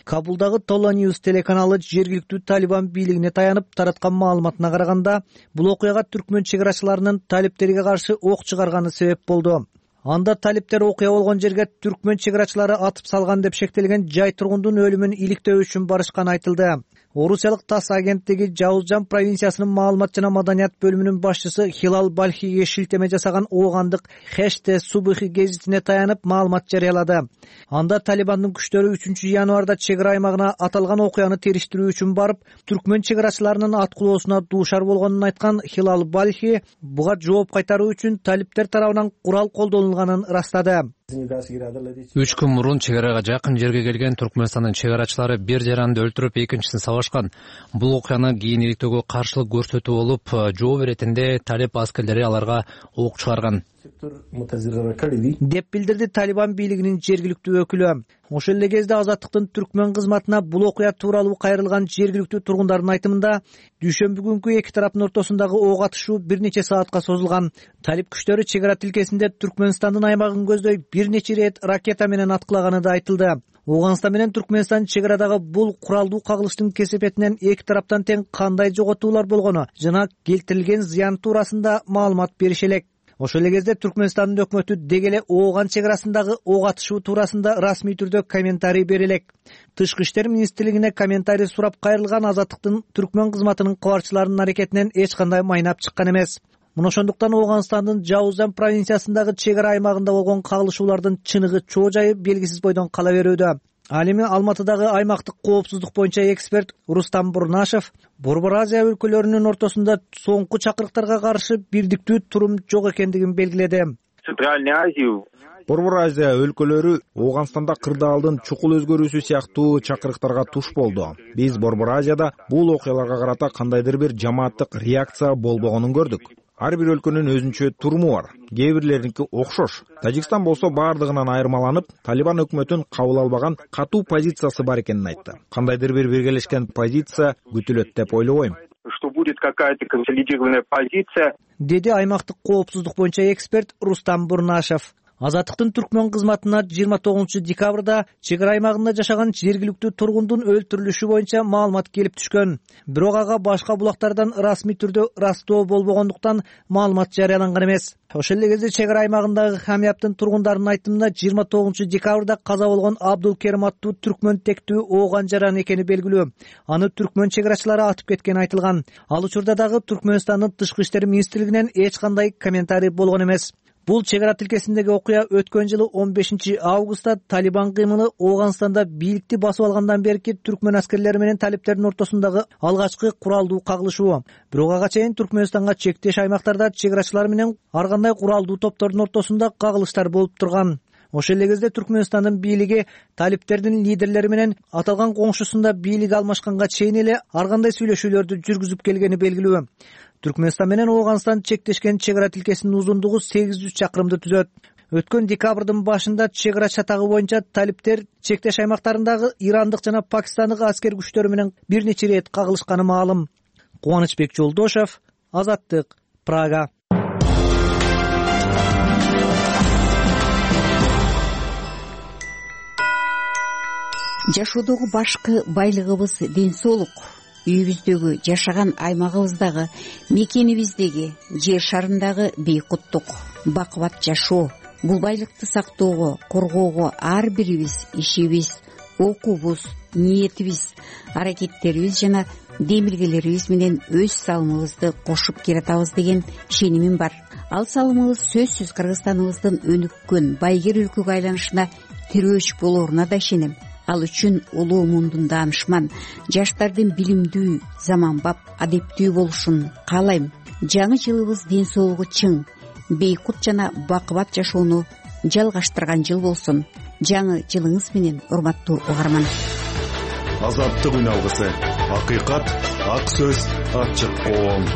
Кабулдагы Tola News телеканалы жергиликтүү Талибан бийлигине таянып тараткан маалыматына караганда, бул окуяга түркмөн чек арачыларынын талиптерге каршы ок чыгарганы себеп болду. Анда талиптер окуя болгон жерге түркмөн чек арачылары атып салган деп шектелген жай тургундун өлүмүн иликтөө үчүн барышканы айтылды. Орусиялык ТАСС агенттиги Жаузжан провинциясынын маалымат жана маданият бөлүмүнүн башчысы Хилал Балхиге шилтеме жасаган оогандык Хеште Субихи гезитине таянып маалымат жарыялады. Анда Талибандын күчтөрү үчүнчү январда чек ара аймагына аталган окуяны териштирүү үчүн барып, түркмөн чек арачыларынын аткылоосуна дуушар болгонун айткан Хилал Балхи буга жооп кайтаруу үчүн талиптер тарабынан курал колдонулганын ырастады. Үч күн мурун чек арага жакын жерге келген Түркмөнстандын чек арачылары бир жаранды өлтүрүп, экинчисин сабашкан. Бул окуяны кийин иликтөөгө каршылык көрсөтүү болуп, жооп иретинде талип аскерлери аларга ок чыгарган деп билдирди Талибан бийлигинин жергиликтүү өкүлү. Ошол эле кезде Азаттыктын түркмөн кызматына бул окуя тууралуу кайрылган жергиликтүү тургундардын айтымында, дүйшөмбү күнкү эки тараптын ортосундагы ок атышуу бир нече саатка созулган. Талип күчтөрү чек ара тилкесинде Түркмөнстандын аймагын көздөй бир нече ирет ракета менен аткылаганы да айтылды. Ооганстан менен Түркмөнстан чек арадагы бул куралдуу кагылыштын кесепетинен эки тараптан тең кандай жоготуулар болгону жана келтирилген зыян туурасында маалымат берише элек. Ошол эле кезде Түркмөнстандын өкмөтү деги эле Ооган чек арасындагы ок атышуу туурасында расмий түрдө комментарий бере элек. Тышкы иштер министрлигине комментарий сурап кайрылган Азаттыктын түркмөн кызматынын кабарчыларынын аракетинен эч кандай майнап чыккан эмес. Мына ошондуктан Ооганстандын Жаузжан провинциясындагы чек ара аймагында болгон кагылышуулардын чыныгы чоо жайы белгисиз бойдон кала берүүдө. Ал эми Алматыдагы аймактык коопсуздук боюнча эксперт Рустам Бурнашев Борбор Азия өлкөлөрүнүн ортосунда соңку чакырыктарга каршы бирдиктүү турум жок экендигин белгиледи. Центральная Азия Борбор Азия өлкөлөрү Ооганстанда кырдаалдын чукул өзгөрүүсү сыяктуу чакырыктарга туш болду. Биз Борбор Азияда бул окуяларга карата кандайдыр бир жамааттык реакция болбогонун көрдүк. Ар бир өлкөнүн өзүнчө туруму бар. Кээ бирлериники окшош. Тажикстан болсо бардыгынан айырмаланып, Талибан өкмөтүн кабыл албаган катуу позициясы бар экенин айтты. Кандайдыр бир биргелешкен позиция күтүлөт деп ойлобойм. Что будет какая-то консолидированная позиция, деди аймактык коопсуздук боюнча эксперт Рустам Бурнашев. Азаттыктын түркмөн кызматына жыйырма тогузунчу декабрда чек ара аймагында жашаган жергиликтүү тургундун өлтүрүлүшү боюнча маалымат келип түшкөн. Бирок ага башка булактардан расмий түрдө ырастоо болбогондуктан маалымат жарыяланган эмес. Ошол эле кезде чек ара аймагындагы Хамияптын тургундарынын айтымында жыйырма тогузунчу декабрда каза болгон Абдулкерим аттуу түркмөн тектүү Ооган жаран экени белгилүү. Аны түркмөн чек арачылары атып кеткени айтылган. Ал учурда дагы Түркмөнстандын тышкы иштер министрлигинен эч кандай комментарий болгон эмес. Бул чек ара тилкесиндеги окуя өткөн жылы он бешинчи августта Талибан кыймылы Ооганстанда бийликти басып алгандан берки түркмөн аскерлери менен талиптердин ортосундагы алгачкы куралдуу кагылышуу. Бирок ага чейин Түркмөнстанга чектеш аймактарда чек арачылар менен ар кандай куралдуу топтордун ортосунда кагылыштар болуп турган. Ошол эле кезде Түркмөнстандын бийлиги талиптердин лидерлери менен аталган коңшусунда бийлик алмашканга чейин эле ар кандай сүйлөшүүлөрдү жүргүзүп келгени белгилүү. Түркмөнстан менен Ооганстан чектешкен чек ара тилкесинин узундугу сегиз жүз чакырымды түзөт. Өткөн декабрдын башында чек ара чатагы боюнча талиптер чектеш аймактарындагы ирандык жана пакистандык аскер күчтөрү менен бир нече рет кагылышканы маалым. Кубанычбек Жолдошев, Азаттык, Прага. Жашоодогу башкы байлыгыбыз ден соолук. Үйүбүздөгү, жашаган аймагыбыздагы, мекенибиздеги, жер шарындагы бейкуттук, бакубат жашоо. Бул байлыкты сактоого, коргоого ар бирибиз ишибиз, окуубуз, ниетибиз, аракеттерибиз жана демилгелерибиз менен өз салымыбызды кошуп келатабыз деген ишенимим бар. Ал салымыбыз сөзсүз Кыргызстаныбыздын өнүккөн байгер өлкөгө айланышына тирөөч болооруна да ишенем. Ал үчүн улуу мундун даанышман, жаштардын билимдүү, заманбап, адептүү болушун каалайм. Жаңы жылыбыз ден соолугу чың, бейкут жана бакубат жашоону жалгаштырган жыл болсун. Жаңы жылыңыз менен, урматтуу угарман. Азаттык үналгысы. Акыйкат, ак сөз, ачык коом.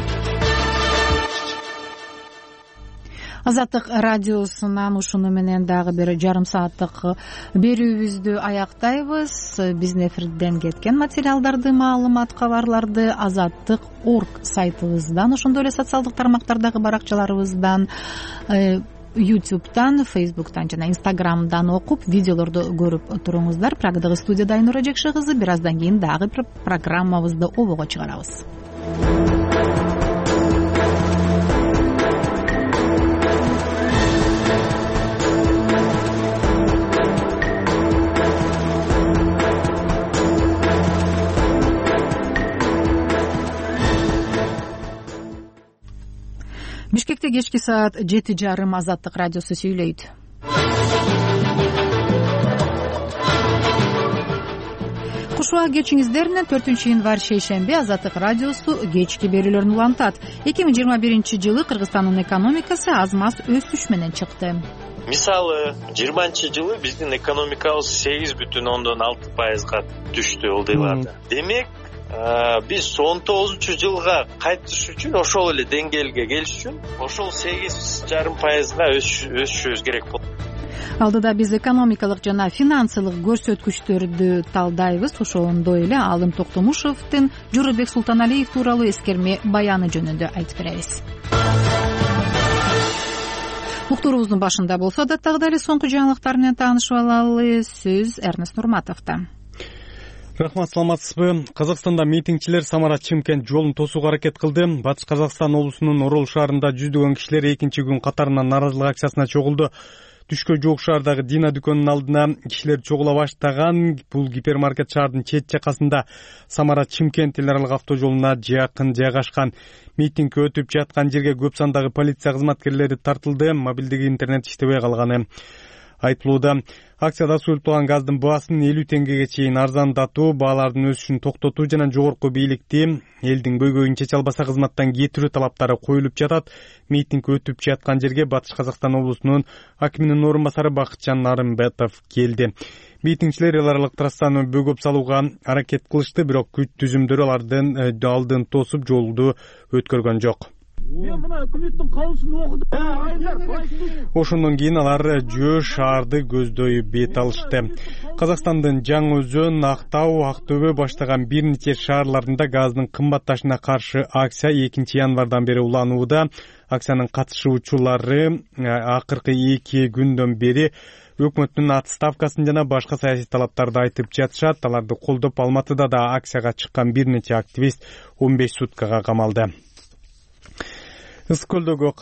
Азаттык радиосунан ушуну менен дагы бир жарым сааттык берүүбүздү аяктайбыз. Биздин эфирден кеткен материалдарды, маалымат, кабарларды азаттык точка орг сайтыбыздан, ошондой эле социалдык тармактардагы баракчаларыбыздан, ютубтан, фейсбуктан жана инстаграмдан окуп, видеолорду көрүп туруңуздар. Прагадагы студияда Айнура Жекши кызы. Бир аздан кийин дагы бир программабызды обого чыгарабыз. Бишкекте кечки саат жети жарым Азаттык радиосу сүйлөйт. Куш убак кечиңиздер менен төртүнчү январь шейшемби Азаттык радиосу кечки берүүлөрүн улантат. эки миң жыйырма биринчи жылы Кыргызстандын экономикасы аз-маз өсүш менен чыкты. Мисалы, жыйырманчы жылы биздин экономикабыз сегиз бүтүн ондон алты пайызга түштү ылдыйларда. Демек, биз он тогузунчу жылга кайтыш үчүн, ошол эле деңгээлге келиш үчүн ошол сегиз жарым пайызга өсүшүбүз керек болот. Алдыда биз экономикалык жана финансылык көрсөткүчтөрдү талдайбыз. Ошондой эле Алым Токтомушевдин Жоробек Султаналиев тууралуу эскерме баяны жөнүндө айтып беребиз. Уктуурубуздун башында болсо адаттагыдай эле соңку жаңылыктар менен таанышып алалы. Сөз Эрнест Нурматовдо. Рахмат, саламатсызбы? Казакстанда митингчилер Самара-Чымкент жолун тосууга аракет кылды. Батыш Казакстан облусунун Орол шаарында жүздөгөн кишилер экинчи күн катарынан нааразылык акциясына чогулду. Түшкө жук шаардагы Дина дүкөнүнүн алдына кишилер чогула баштаган. Бул гипермаркет шаардын чет жакасында Самара-Чымкент эл аралык автожолуна жакын жайгашкан. Митинг өтүп жаткан жерге көп сандагы полиция кызматкерлери тартылды. Мобилдик интернет иштебей калганы айтылууда. Акцияда суюлтулган газдын баасын элүү теңгеге чейин арзандатуу, баалардын өсүшүн токтотуу жана жогорку бийликти элдин көйгөйүн чече албаса кызматтан кетирүү талаптары коюлуп жатат. Митинг өтүп жаткан жерге Батыш Казакстан облусунун акиминин орун басары Бакытжан Нарымбетов келди. Митингчилер эл аралык трассаны бөгөп салууга аракет кылышты, бирок күч түзүмдөрү алардын алдын тосуп жолду өткөргөн жок. Мен мына өкмөттүн каулусун окудум. Ошондон кийин алар Жөө шаарды көздөй бет алышты. Казакстандын Жаңы Өзөн, Актау, Актөбө баштаган бир нече шаарларында газдын кымбатташына каршы акция экинчи январдан бери уланууда. Акциянын катышуучулары акыркы эки күндөн бери өкмөттүн отставкасын жана башка саясий талаптарды айтып жатышат. Аларды колдоп Алматыда да акцияга чыккан бир нече активист он беш суткага камалды. Ысык көлдөгү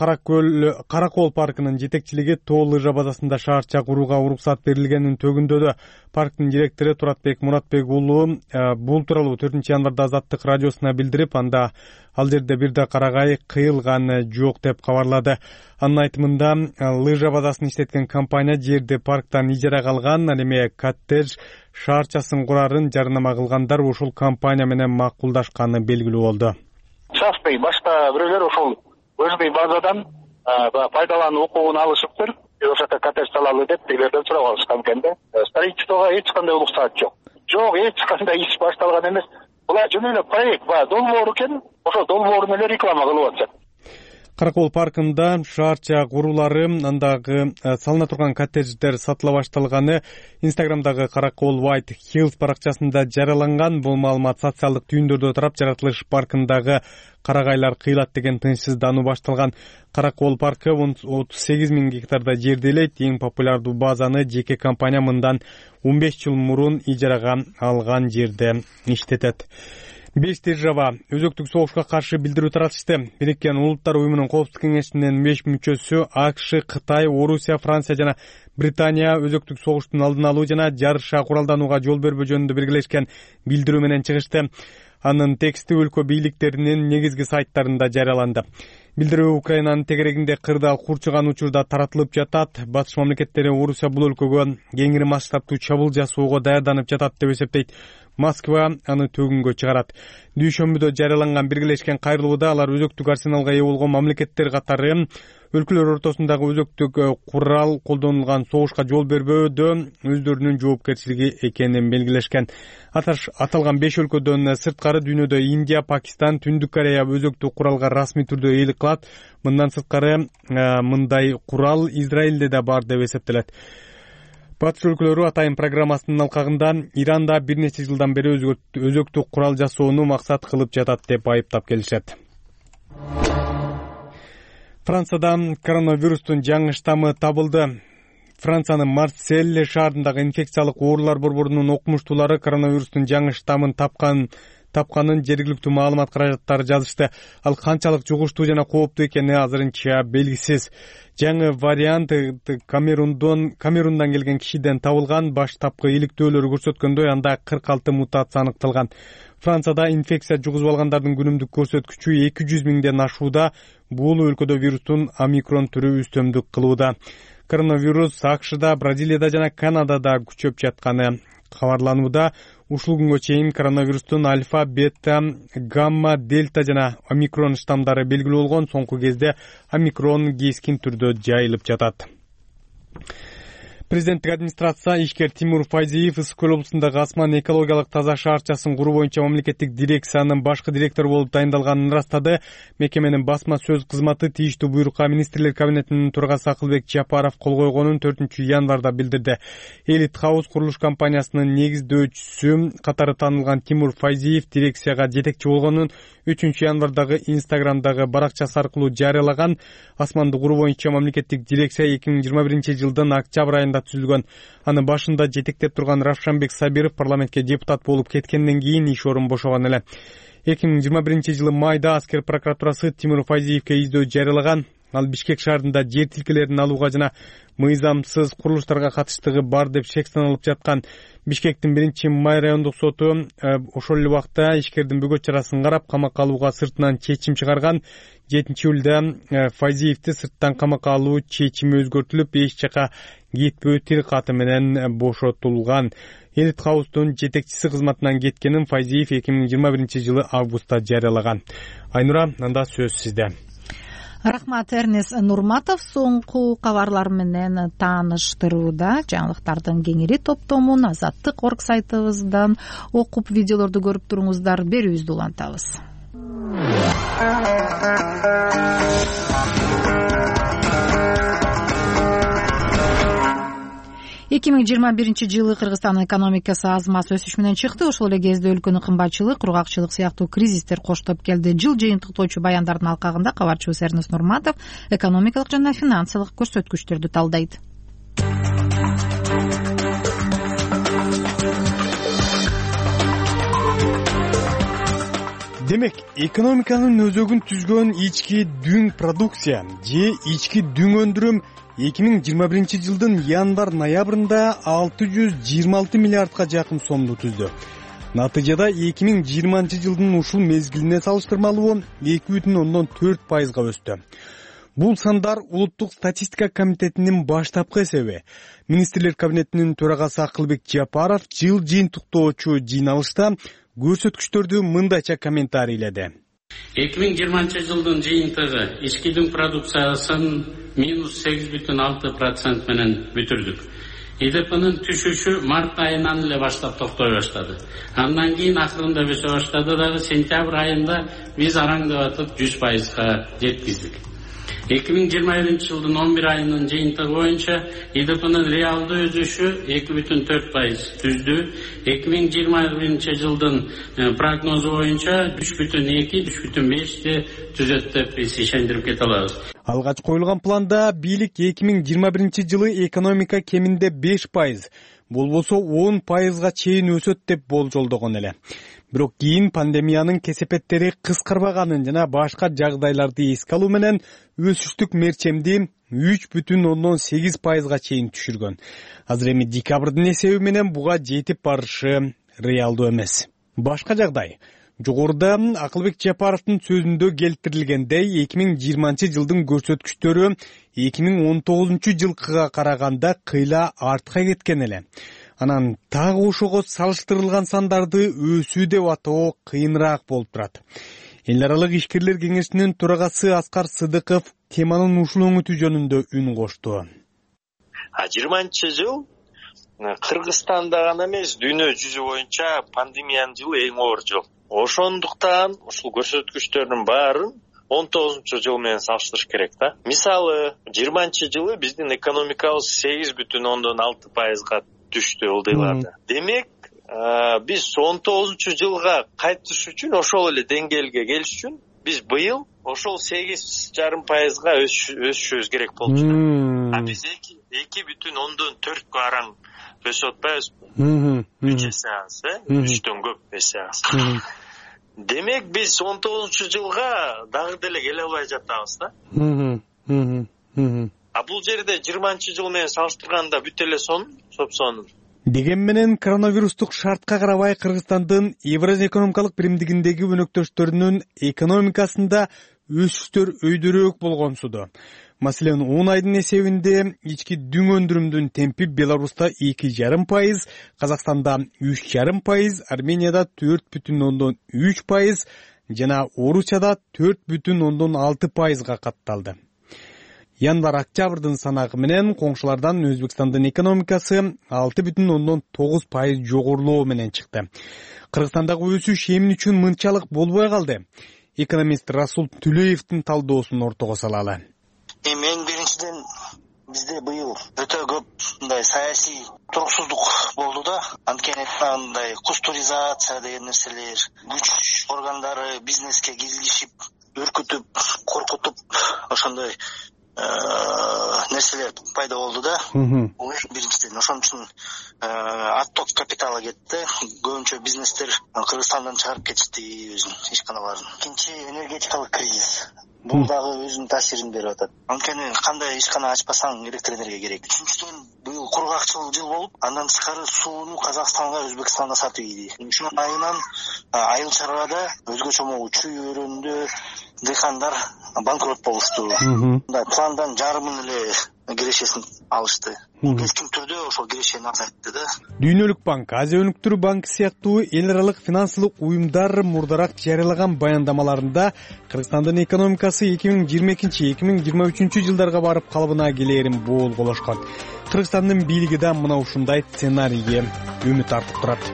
Каракол паркынын жетекчилиги тоо лыжа базасында шаарча курууга уруксат берилгенин төгүндөдү. Парктын директору Туратбек Муратбек уулу бул тууралуу төртүнчү январда Азаттык радиосуна билдирип, анда ал жерде бир да карагай кыйылган жок деп кабарлады. Анын айтымында, лыжа базасын иштеткен компания жерди парктан ижарага алган, ал эми коттедж шаарчасын курарын жарнама кылгандар ушул компания менен макулдашканы белгилүү болду. Шафпай башка бирөөлөр ошол өзбек базадан пайдалануу укугун алышыптыр. Ошол жака коттедж салалы деп тегилерден сурап алышкан экен да. Строительствого эч кандай уруксат жок. Жок, эч кандай иш башталган эмес. Булар жөн эле проект бар, долбоор экен. Ошол долбоорун эле реклама кылып атышат. Каракол паркында шаарча куруулары, андагы салына турган коттедждер сатыла башталганы Инстаграмдагы Каракол White Hills баракчасында жарыяланган. Бул маалымат социалдык түйүндөрдө тарап, жаратылыш паркындагы карагайлар кыйлат деген тынчсыздануу башталган. Каракол паркы отуз сегиз миң гектарда жерделейт. Эң популярдуу базаны жеке компания мындан он беш жыл мурун ижарага алган жерде иштетет. Беш держава өзөктүк согушка каршы билдирүү таратышты. Бириккен Улуттар уюмунун коопсуздук кеңешинин беш мүчөсү АКШ, Кытай, Орусия, Франция жана Британия өзөктүк согуштун алдын алуу жана жарыша куралданууга жол бербөө жөнүндө биргелешкен билдирүү менен чыгышты. Анын тексти өлкө бийликтеринин негизги сайттарында жарыяланды. Билдирүү Украинанын тегерегинде кырдаал курчуган учурда таратылып жатат. Батыш мамлекеттери Орусия бул өлкөгө кеңири масштабтуу чабуул жасоого даярданып жатат деп эсептейт. Москва аны төгүнгө чыгарат. Дүйшөмбүдө жарыяланган биргелешкен кайрылууда алар өзөктүк арсеналга ээ болгон мамлекеттер катары өлкөлөр ортосундагы өзөктүк курал колдонулган согушка жол бербөөдө өздөрүнүн жоопкерчилиги экенин белгилешкен. Аталган беш өлкөдөн сырткары дүйнөдө Индия, Пакистан, Түндүк Корея өзөктүк куралга расмий түрдө ээлик кылат. Мындан сырткары мындай курал Израилде да бар деп эсептелет. Батыш өлкөлөрү атайын программасынын алкагында Иранда бир нече жылдан бери өзөктүк курал жасоону максат кылып жатат деп айыптап келишет. Францияда коронавирустун жаңы штаммы табылды. Франциянын Марсель шаарындагы инфекциялык оорулар борборунун окумуштуулары коронавирустун жаңы штаммын тапкан тапканын жергиликтүү маалымат каражаттары жазышты. Ал канчалык жугуштуу жана кооптуу экени азырынча белгисиз. Жаңы вариант Камерундан Камерундан келген кишиден табылган. Баштапкы иликтөөлөр көрсөткөндөй, анда кырк алты мутация аныкталган. Францияда инфекция жугузуп алгандардын күнүмдүк көрсөткүчү эки жүз миңден ашууда. Бул өлкөдө вирустун омикрон түрү үстөмдүк кылууда. Коронавирус АКШда, Бразилияда жана Канадада күчөп жатканы кабарланууда. Ушул күнгө чейин коронавирустун альфа, бета, гамма, дельта жана омикрон штамдары белгилүү болгон. Соңку кезде омикрон кескин түрдө жайылып жатат. Президенттик администрация ишкер Тимур Файзиев Ысык көл облусундагы Асман экологиялык таза шаарчасын куруу боюнча мамлекеттик дирекциянын башкы директору болуп дайындалганын ырастады. Мекеменин басма сөз кызматы тийиштүү буйрукка министрлер кабинетинин төрагасы Акылбек Жапаров кол койгонун төртүнчү январда билдирди. Элит Хаус курулуш компаниясынын негиздөөчүсү катары таанылган Тимур Файзиев дирекцияга жетекчи болгонун үчүнчү январдагы Инстаграмдагы баракчасы аркылуу жарыялаган. Асманды куруу боюнча мамлекеттик дирекция эки миң жыйырма биринчи жылдын октябрь айында түзүлгөн. Анын башында жетектеп турган Равшанбек Сабиров парламентке депутат болуп кеткенден кийин иш орун бошогон эле. эки миң жыйырма биринчи жылы майда аскер прокуратурасы Тимур Файзиевке издөө жарыялаган. Ал Бишкек шаарында жер тилкелерин алууга жана мыйзамсыз курулуштарга катыштыгы бар деп шек саналып жаткан. Бишкектин биринчи май райондук соту ошол эле убакта ишкердин бөгөт чарасын карап камакка алууга сыртынан чечим чыгарган. жетинчи июлда Файзиевди сырттан камакка алуу чечими өзгөртүлүп, эч жака кетпөө тил каты менен бошотулган. Элит Хаустун жетекчиси кызматынан кеткенин Файзиев эки миң жыйырма биринчи жылы августта жарыялаган. Айнура, анда сөз сизде. Рахмат, Эрнес Нурматов соңку кабарлар менен тааныштырууда. Жаңылыктардын кеңири топтомун Азаттык орг сайтыбыздан окуп, видеолорду көрүп туруңуздар. Берүүбүздү улантабыз. эки миң жыйырма биринчи жылы Кыргызстандын экономикасы аз маз өсүш менен чыкты. Ошол эле кезде өлкөнүн кымбатчылык, кургакчылык сыяктуу кризистер коштоп келди. Жыл жыйынтыктоочу баяндардын алкагында кабарчыбыз Эрнес Нурматов экономикалык жана финансылык көрсөткүчтөрдү талдайт. Демек, экономиканын өзөгүн түзгөн ички дүң продукция же ички дүң өндүрүм эки миң жыйырма биринчи жылдын январ-ноябрында алты жүз жыйырма алты миллиардка жакын сомду түздү. Натыйжада эки миң жыйырманчы жылдын ушул мезгилине салыштырмалуу эки бүтүн ондон төрт пайызга өстү. Бул сандар Улуттук статистика комитетинин баштапкы эсеби. Министрлер кабинетинин төрагасы Акылбек Жапаров жыл жыйынтыктоочу жыйналышта көрсөткүчтөрдү мындайча комментарийледи. эки миң жыйырманчы жылдын жыйынтыгы ички дүң продукциясын минус сегиз бүтүн алты процент менен бүтүрдүк. ИДПнын түшүшү март айынан эле баштап токтой баштады. Андан кийин акырында өсө баштады дагы сентябрь айында биз араңдап жүз пайызга жеткиздик. эки миң жыйырма биринчи жылдын он бир айынын жыйынтыгы боюнча ИДПнын реалдуу өсүшү эки бүтүн төрт пайыз түздү. эки миң жыйырма биринчи жылдын прогнозу боюнча үч бүтүн эки үч бүтүн бешти түзөт деп биз ишендирип кете алабыз. Алгач коюлган планда бийлик эки миң жыйырма биринчи жылы экономика кеминде беш пайыз, болбосо он пайызга чейин өсөт деп болжолдогон эле. Бирок кийин пандемиянын кесепеттери кыскарбаганын жана башка жагдайларды эске алуу менен өсүштүк мерчемди үч бүтүн ондон сегиз пайызга чейин түшүргөн. Азыр эми декабрдын эсеби менен буга жетип барышы реалдуу эмес. Башка жагдай. Жогоруда Акылбек Жапаровдун сөзүндө келтирилгендей, эки миң жыйырманчы жылдын көрсөткүчтөрү эки миң он тогузунчу жылкыга караганда кыйла артка кеткен эле. анан дагы ошого салыштырылган сандарды өсүү деп атоо кыйыныраак болуп турат. Эл аралык ишкерлер кеңешинин төрагасы Аскар Сыдыков теманын ушул өңүтүү жөнүндө үн кошту. жыйырманчы жыл Кыргызстанда гана эмес, дүйнө жүзү боюнча пандемиянын жылы эң оор жыл. Ошондуктан ушул көрсөткүчтөрдүн баарын он тогузунчу жыл менен салыштырыш керек да. Мисалы, жыйырманчы жылы биздин экономикабыз сегиз бүтүн ондон алты пайызга түштү ылдыйларда. Демек, биз он тогузунчу жылга кайтыш үчүн, ошол эле деңгээлге келиш үчүн биз быйыл ошол сегиз жарым пайызга өсүшүбүз керек болчу. А биз эки бүтүн ондон төрткө араң өсүп атпайбызбы? үч эсе аз, э? үчтөн көп эсе аз. Демек, биз он тогузунчу жылга дагы деле келе албай жатабыз да. А бул жерде жыйырманчы жыл менен салыштырганда бүт эле сонун, сопсонун. Деген менен коронавирустук шартка карабай Кыргызстандын Евразия экономикалык биримдигиндеги өнөктөштөрүнүн экономикасында өсүштөр өйдөрөөк болгонсуду. Маселен, он айдын эсебинде ички дүң өндүрүмдүн темпи Беларуста эки жарым пайыз, Казакстанда үч жарым пайыз, Арменияда төрт бүтүн ондон үч пайыз жана Орусияда төрт бүтүн ондон алты пайызга катталды. Январь-октябрдын санагы менен коңшулардан Өзбекстандын экономикасы алты бүтүн ондон тогуз пайыз жогорулоо менен чыкты. Кыргызстандагы өсүш эмне үчүн мынчалык болбой калды? Экономист Расул Түлеевдин талдоосун ортого салалы. Эми эң биринчиден бизде быйыл өтө көп мындай саясий туруксуздук болду да. Анткени мындай кустуризация деген нерселер, күч органдары бизнеске киргизип, үркүтүп, коркутуп, ошондой нерселер пайда болду да. Бул эң биринчиден. Ошон үчүн отток капиталы кетти. Көбүнчө бизнестер Кыргызстандан чыгарып кетишти өзүнүн ишканаларын. Экинчи, энергетикалык кризис. Бул дагы өзүнүн таасирин берип атат. Анткени кандай ишкана ачпасаң электр энергия керек. Үчүнчүдөн, быйыл кургакчыл жыл болуп, андан тышкары сууну Казакстанга, Өзбекстанга сатып ийди. Ушунун айынан айыл чарбада өзгөчө могу чүй өрөөнүндө дыйкандар банкрот болушту. Мындай пландан жарымын эле кирешесин алышты. Кескин түрдө ошол кирешени азайтты да. Дүйнөлүк банк, Азия өнүктүрүү банкы сыяктуу эл аралык финансылык уюмдар мурдараак жарыялаган баяндамаларында Кыргызстандын экономикасы эки миң жыйырма экинчи — эки миң жыйырма үчүнчү жылдарга барып калыбына келээрин боолголошкон. Кыргызстандын бийлиги да мына ушундай сценарийге үмүт артып турат.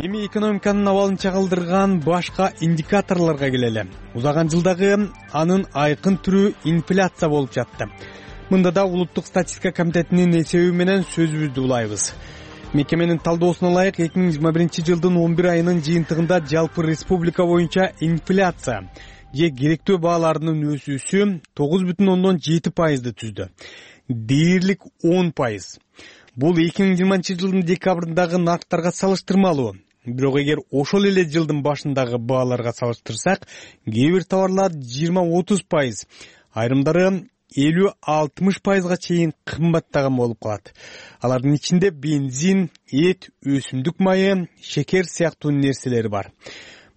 Эми экономиканын абалын чагылдырган башка индикаторлорго келели. Узаган жылдагы анын айкын түрү инфляция болуп жатты. Мында да улуттук статистика комитетинин эсеби менен сөзүбүздү улайбыз. Мекеменин талдоосуна ылайык, эки миң жыйырма биринчи жылдын он бир айынын жыйынтыгында жалпы республика боюнча инфляция же керектөө бааларынын өсүүсү тогуз бүтүн ондон жети пайызды түздү. Дээрлик он пайыз. Бул эки миң жыйырманчы жылдын декабрындагы нарктарга салыштырмалуу. Бирок эгер ошол эле жылдын башындагы бааларга салыштырсак, кээ бир товарлар жыйырма отуз пайыз, айрымдары элүү алтымыш пайызга чейин кымбаттаган болуп калат. Алардын ичинде бензин, эт, өсүмдүк майы, шекер сыяктуу нерселер бар.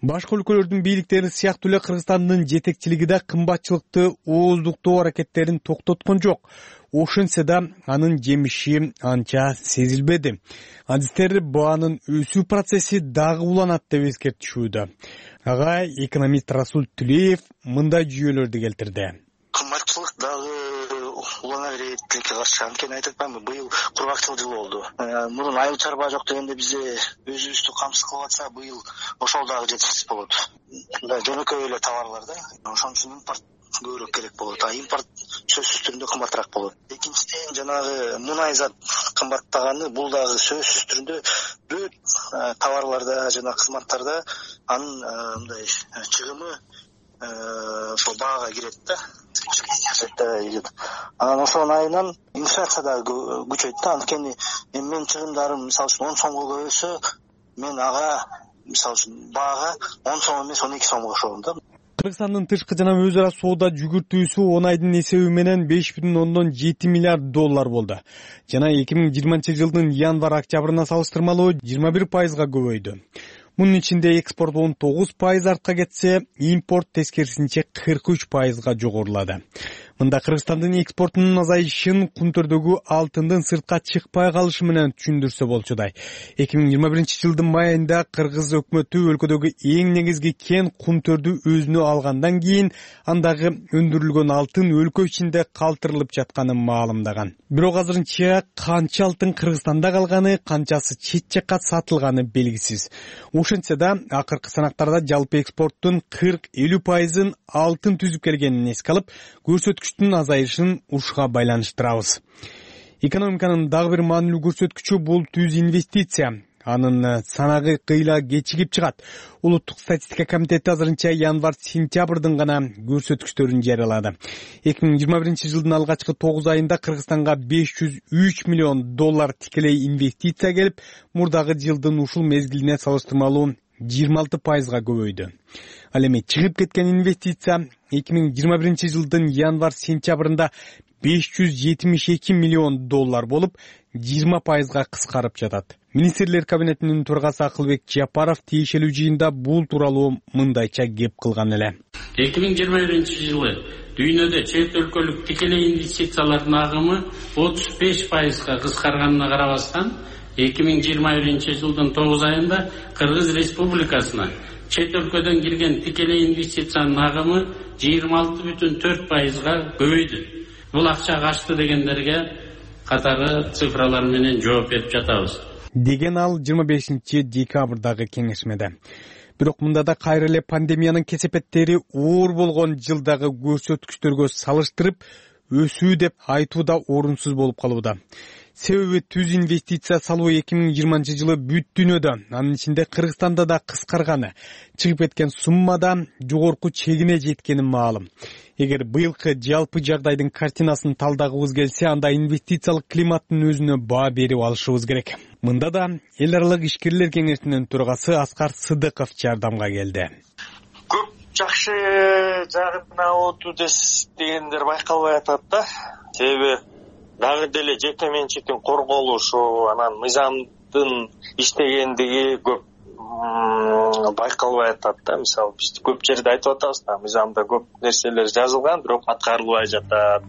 Башка өлкөлөрдүн бийликтери сыяктуу эле Кыргызстандын жетекчилиги да кымбатчылыкты ооздуктоо аракеттерин токтоткон жок. Ошентсе да анын жемиши анча сезилбеди. Адистер баанын өсүү процесси дагы уланат деп эскертишүүдө. Ага экономист Расул Түлеев мындай жүйөлөрдү келтирди. Кымбатчылык дагы улана берет тилекке каршы. Анткени айтып атпаймынбы, быйыл кургакчыл жыл болду. Мурун айыл чарба жок дегенде бизде өзүбүздү камсыз кылып атса, быйыл ошол дагы жетишсиз болот. Мындай жөнөкөй эле товарлар да. Ошон үчүн импорт көбүрөөк керек болот. А импорт сөзсүз түрүндө кымбатыраак болот. Экинчиден, жанагы мунай зат кымбаттаганы, бул дагы сөзсүз түрүндө бүт товарларда жана кызматтарда анын мындай чыгымы ошол баага кирет да. Анан ошонун айынан инфляция дагы күчөйт да. Анткени эми менин чыгымдарым мисалы үчүн он сомго көбөйсө, мен ага мисалы үчүн баага он сом эмес он эки сомго кошом да. Кыргызстандын тышкы жана өз ара соода жүгүртүүсү он айдын эсеби менен беш бүтүн ондон жети миллиард доллар болду. Жана эки миң жыйырманчы жылдын январь-октябрына салыштырмалуу жыйырма бир пайызга көбөйдү. Мунун ичинде экспорт он тогуз пайыз артка кетсе, импорт тескерисинче кырк үч пайызга жогорулады. Мында Кыргызстандын экспортунун азайышын Кунтөрдөгү алтындын сыртка чыкпай калышы менен түшүндүрсө болчудай. эки миң жыйырма биринчи жылдын май айында Кыргыз өкмөтү өлкөдөгү эң негизги кен Кунтөрдү өзүнө алгандан кийин андагы өндүрүлгөн алтын өлкө ичинде калтырылып жатканын маалымдаган. Бирок азырынча канча алтын Кыргызстанда калганы, канчасы чет жакка сатылганы белгисиз. Ошентсе да, акыркы санактарда жалпы экспорттун кырк элүү пайызын алтын түзүп келгенин эске алып, көрсөткүчтүн азайышын ушуга байланыштырабыз. Экономиканын дагы бир маанилүү көрсөткүчү бул түз инвестиция. Анын санагы кыйла кечигип чыгат. Улуттук статистика комитети азырынча январь-сентябрдын гана көрсөткүчтөрүн жарыялады. эки миң жыйырма биринчи жылдын алгачкы тогуз айында Кыргызстанга беш жүз үч миллион доллар тикелей инвестиция келип, мурдагы жылдын ушул мезгилине салыштырмалуу жыйырма алты пайызга көбөйдү. Ал эми чыгып кеткен инвестиция эки миң жыйырма биринчи жылдын январь-сентябрында беш жүз жетимиш эки миллион доллар болуп, жыйырма пайызга кыскарып жатат. Министрлер кабинетинин төрагасы Акылбек Жапаров тиешелүү жыйында бул тууралуу мындайча кеп кылган эле. эки миң жыйырма биринчи жылы дүйнөдө чет өлкөлүк тикелей инвестициялардын агымы отуз беш пайызга кыскарганына карабастан, эки миң жыйырма биринчи жылдын тогуз айында Кыргыз Республикасына чет өлкөдөн кирген тикелей инвестициянын агымы жыйырма алты бүтүн төрт пайызга көбөйдү. Бул акча качты дегендерге катары цифралар менен жооп берип жатабыз, деген ал жыйырма бешинчи декабрдагы кеңешмеде. Бирок мында да кайра эле пандемиянын кесепеттери оор болгон жылдагы көрсөткүчтөргө салыштырып өсүү деп айтуу да орунсуз болуп калууда. Себеби түз инвестиция салуу эки миң жыйырманчы жылы бүт дүйнөдө, анын ичинде Кыргызстанда да кыскарганы, чыгып кеткен суммада жогорку чегине жеткени маалым. Эгер быйылкы жалпы жагдайдын картинасын талдагыбыз келсе, анда инвестициялык климаттын өзүнө баа берип алышыбыз керек. Мында да эл аралык ишкерлер кеңешинин төрагасы Аскар Сыдыков жардамга келди. Көп жакшы жагына оту дегендер байкалбай атат да. Себеби дагы деле жеке менчиктин корголушу, анан мыйзамдын иштегендиги көп байкалбай атат да. Мисалы биз көп жерде айтып атабыз да, мыйзамда көп нерселер жазылган, бирок аткарылбай жатат.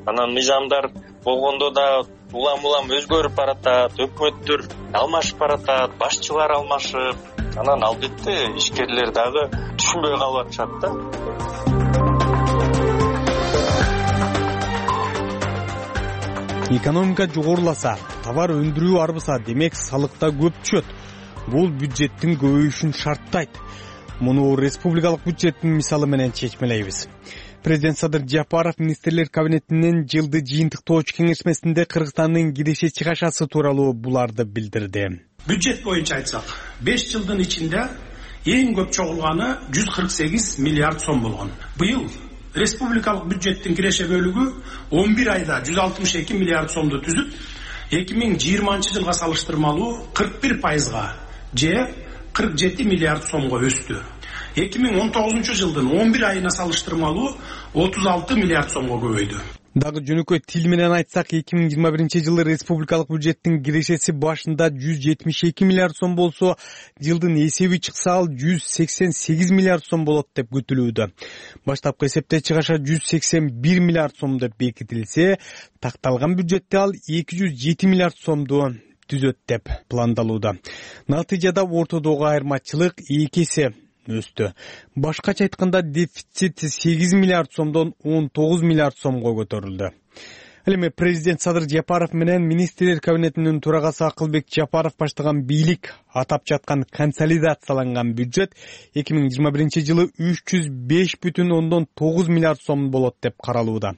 Анан мыйзамдар болгондо да улам-улам өзгөрүп баратат, өкмөттөр алмашып баратат, башчылар алмашып, анан албетте ишкерлер дагы түшүнбөй калып атышат да. Экономика жогоруласа, товар өндүрүү арбыса, демек салыкта көп түшөт. Бул бюджеттин көбөйүшүн шарттайт. Муну республикалык бюджеттин мисалы менен чечмелейбиз. Президент Садыр Жапаров министрлер кабинетинин жылды жыйынтыктоочу кеңешмесинде Кыргызстандын киреше чыгашасы тууралуу буларды билдирди. Бюджет боюнча айтсак, беш жылдын ичинде эң көп чогулганы жүз кырк сегиз миллиард сом болгон. Быйыл республикалык бюджеттин киреше бөлүгү он бир айда жүз алтымыш эки миллиард сомду түзүп, эки миң жыйырманчы жылга салыштырмалуу кырк бир пайызга же кырк жети миллиард сомго өстү. эки миң он тогузунчу жылдын он бир айына салыштырмалуу отуз алты миллиард сомго көбөйдү. Дагы жөнөкөй тил менен айтсак, эки миң жыйырма биринчи жылы республикалык бюджеттин кирешеси башында жүз жетимиш эки миллиард сом болсо, жылдын эсеби чыкса ал жүз сексен сегиз миллиард сом болот деп күтүлүүдө. Баштапкы эсепте чыгаша жүз сексен бир миллиард сом деп бекитилсе, такталган бюджетте ал эки жүз жети миллиард сомду түзөт деп пландалууда. Натыйжада ортодогу айырмачылык эки эсе өстү. Башкача айтканда, дефицит сегиз миллиард сомдон он тогуз миллиард сомго көтөрүлдү. Ал эми президент Садыр Жапаров менен министрлер кабинетинин төрагасы Акылбек Жапаров баштаган бийлик атап жаткан консолидацияланган бюджет эки миң жыйырма биринчи жылы үч жүз беш бүтүн ондон тогуз миллиард сом болот деп каралууда.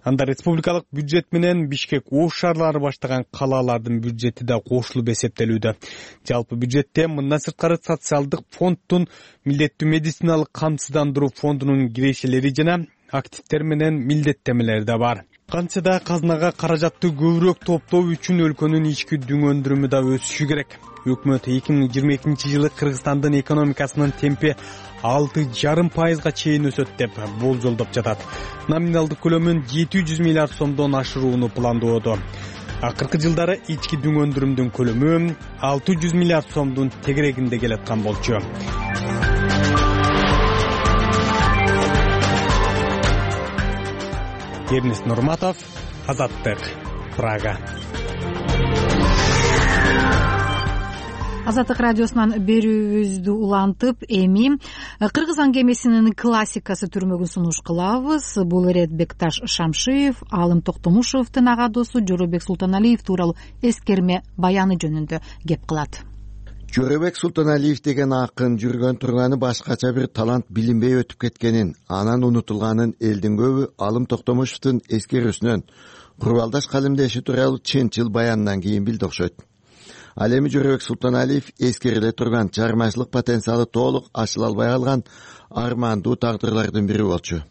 Анда республикалык бюджет менен Бишкек Ош шаарлары баштаган калаалардын бюджети да кошулуп эсептелүүдө. Жалпы бюджетте мындан сырткары социалдык фонддун, милдеттүү медициналык камсыздандыруу фондунун кирешелери жана активдер менен милдеттемелер да бар. Кантсе да казынага каражатты көбүрөөк топтоо үчүн өлкөнүн ички дүң өндүрүмү да өсүшү керек. Өкмөт эки миң жыйырма экинчи жылы Кыргызстандын экономикасынын темпи алты жарым пайызга чейин өсөт деп болжолдоп жатат. Номиналдык көлөмүн жети жүз миллиард сомдон ашырууну пландоодо. акыркы жылдары ички дүң өндүрүмдүн көлөмү алты жүз миллиард сомдун тегерегинде келаткан болчу. Эрнест Нурматов, Азаттык, Прага. Азаттык радиосунан берүүбүздү улантып, эми кыргыз аңгемесинин классикасы түрмөгүн сунуш кылабыз. Бул ирет Бекташ Шамшиев, Алым Токтомушевдин ага досу Жоробек Султаналиев тууралуу эскерме баяны жөнүндө кеп кылат. Жоробек Султаналиев деген акын жүргөн турганы башкача бир талант билинбей өтүп кеткенин, анан унутулганын элдин көбү Алым Токтомушевдин эскерүүсүнөн, курбалдаш калемдеши тууралуу чынчыл баянынан кийин билди окшойт. Ал эми Жоробек Султаналиев эскериле турган чыгармачылык потенциалы толук ачыла албай калган армандуу тагдырлардын бири болчу.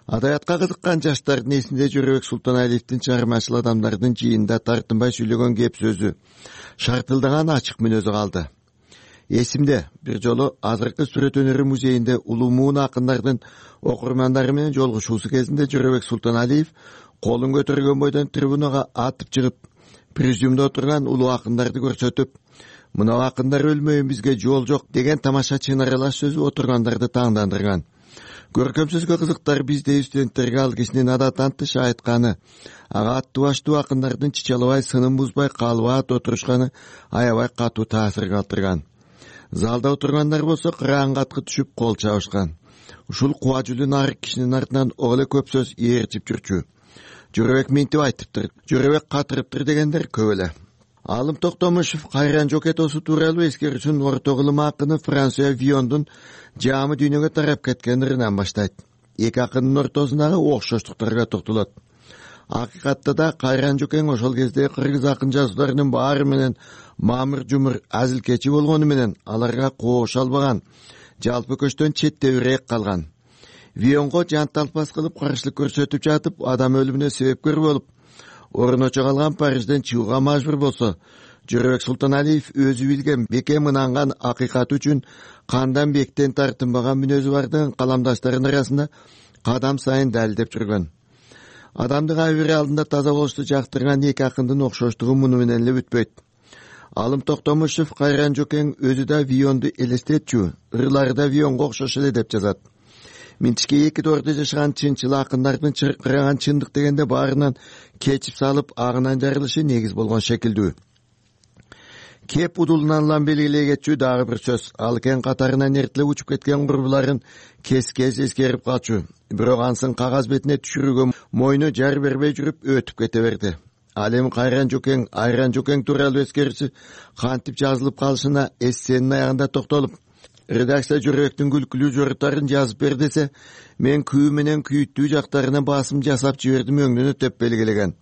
Адабиятка кызыккан жаштардын эсинде Жоробек Султаналиевдин чыгармачыл адамдардын жыйында тартынбай сүйлөгөн кеп сөзү, шартылдаган ачык мүнөзү калды. Эсимде бир жолу азыркы сүрөт өнөрү музейинде улуу муун акындардын окурмандары менен жолугушуусу кезинде Жоробек Султаналиев колун көтөргөн бойдон трибунага атып чыгып, президиумда отурган улуу акындарды көрсөтүп, мына акындар өлмөйүн бизге жол жок деген тамаша чын аралаш сөзү отургандарды таңдандырган. Көркөм сөзгө кызыктар биздей студенттерге ал кишинин адаттан тыш айтканы, ага аттуу баштуу акындардын чычалабай, сынын бузбай, калбаат отурушканы аябай катуу таасир калтырган. Залда отургандар болсо кыраан каткы түшүп кол чабышкан. Ушул куба жүлүн ар кишинин артынан ого эле көп сөз ээрчип жүрчү. Жоробек минтип айтыптыр, Жоробек катырыптыр дегендер көп эле. Алым Токтомушев Кайран Жокетосу тууралуу эскерүүсүн орто кылым акыны Франсуа Виондун жаамы дүйнөгө тарап кеткен ырынан баштайт. Эки акындын ортосундагы окшоштуктарга токтолот. Акыйкатта да Кайран Жокең ошол кезде кыргыз акын жазууларынын баары менен мамыр жумур азилкечи болгону менен аларга кооша албаган, жалпы көчтөн четтебирээк калган. Вионго жанталпас кылып каршылык көрсөтүп жатып, адам өлүмүнө себепкер болуп, орночо калган Парижден чыгууга мажбур болсо, Жоробек Султаналиев өзү билген, бекем ынанган акыйкат үчүн кандан бектен тартынбаган мүнөзү бардын каламдаштарынын арасында кадам сайын далилдеп жүргөн. Адамдын абийири алдында таза болушту жактырган эки акындын окшоштугу муну менен эле бүтпөйт. Алым Токтомушев Кайран Жокең өзү да Вионду элестетчү, ырлары да Вионго окшош эле деп жазат. Минтишке эки тордо жашаган чынчыл акындардын чыркыраган чындык дегенде баарынан кечип салып агынан жарылышы негиз болгон шекилдүү. Кеп удулунан улам белгилей кетчү дагы бир сөз. Ал кен катарынан эртелеп учуп кеткен курбуларын кес-кес эскерип калчу. Бирок ансын кагаз бетине түшүрүүгө мойну жар бербей жүрүп өтүп кете берди. Ал эми Кайран Жокең, Айран Жокең тууралуу эскерүүсү кантип жазылып калышына эссенин аягында токтолуп, редакция Жоробектин күлкүлүү жоруттарын жазып бер десе, мен күү менен күйүттүү жактарына басым жасап жибердим өңдөнү деп белгилеген.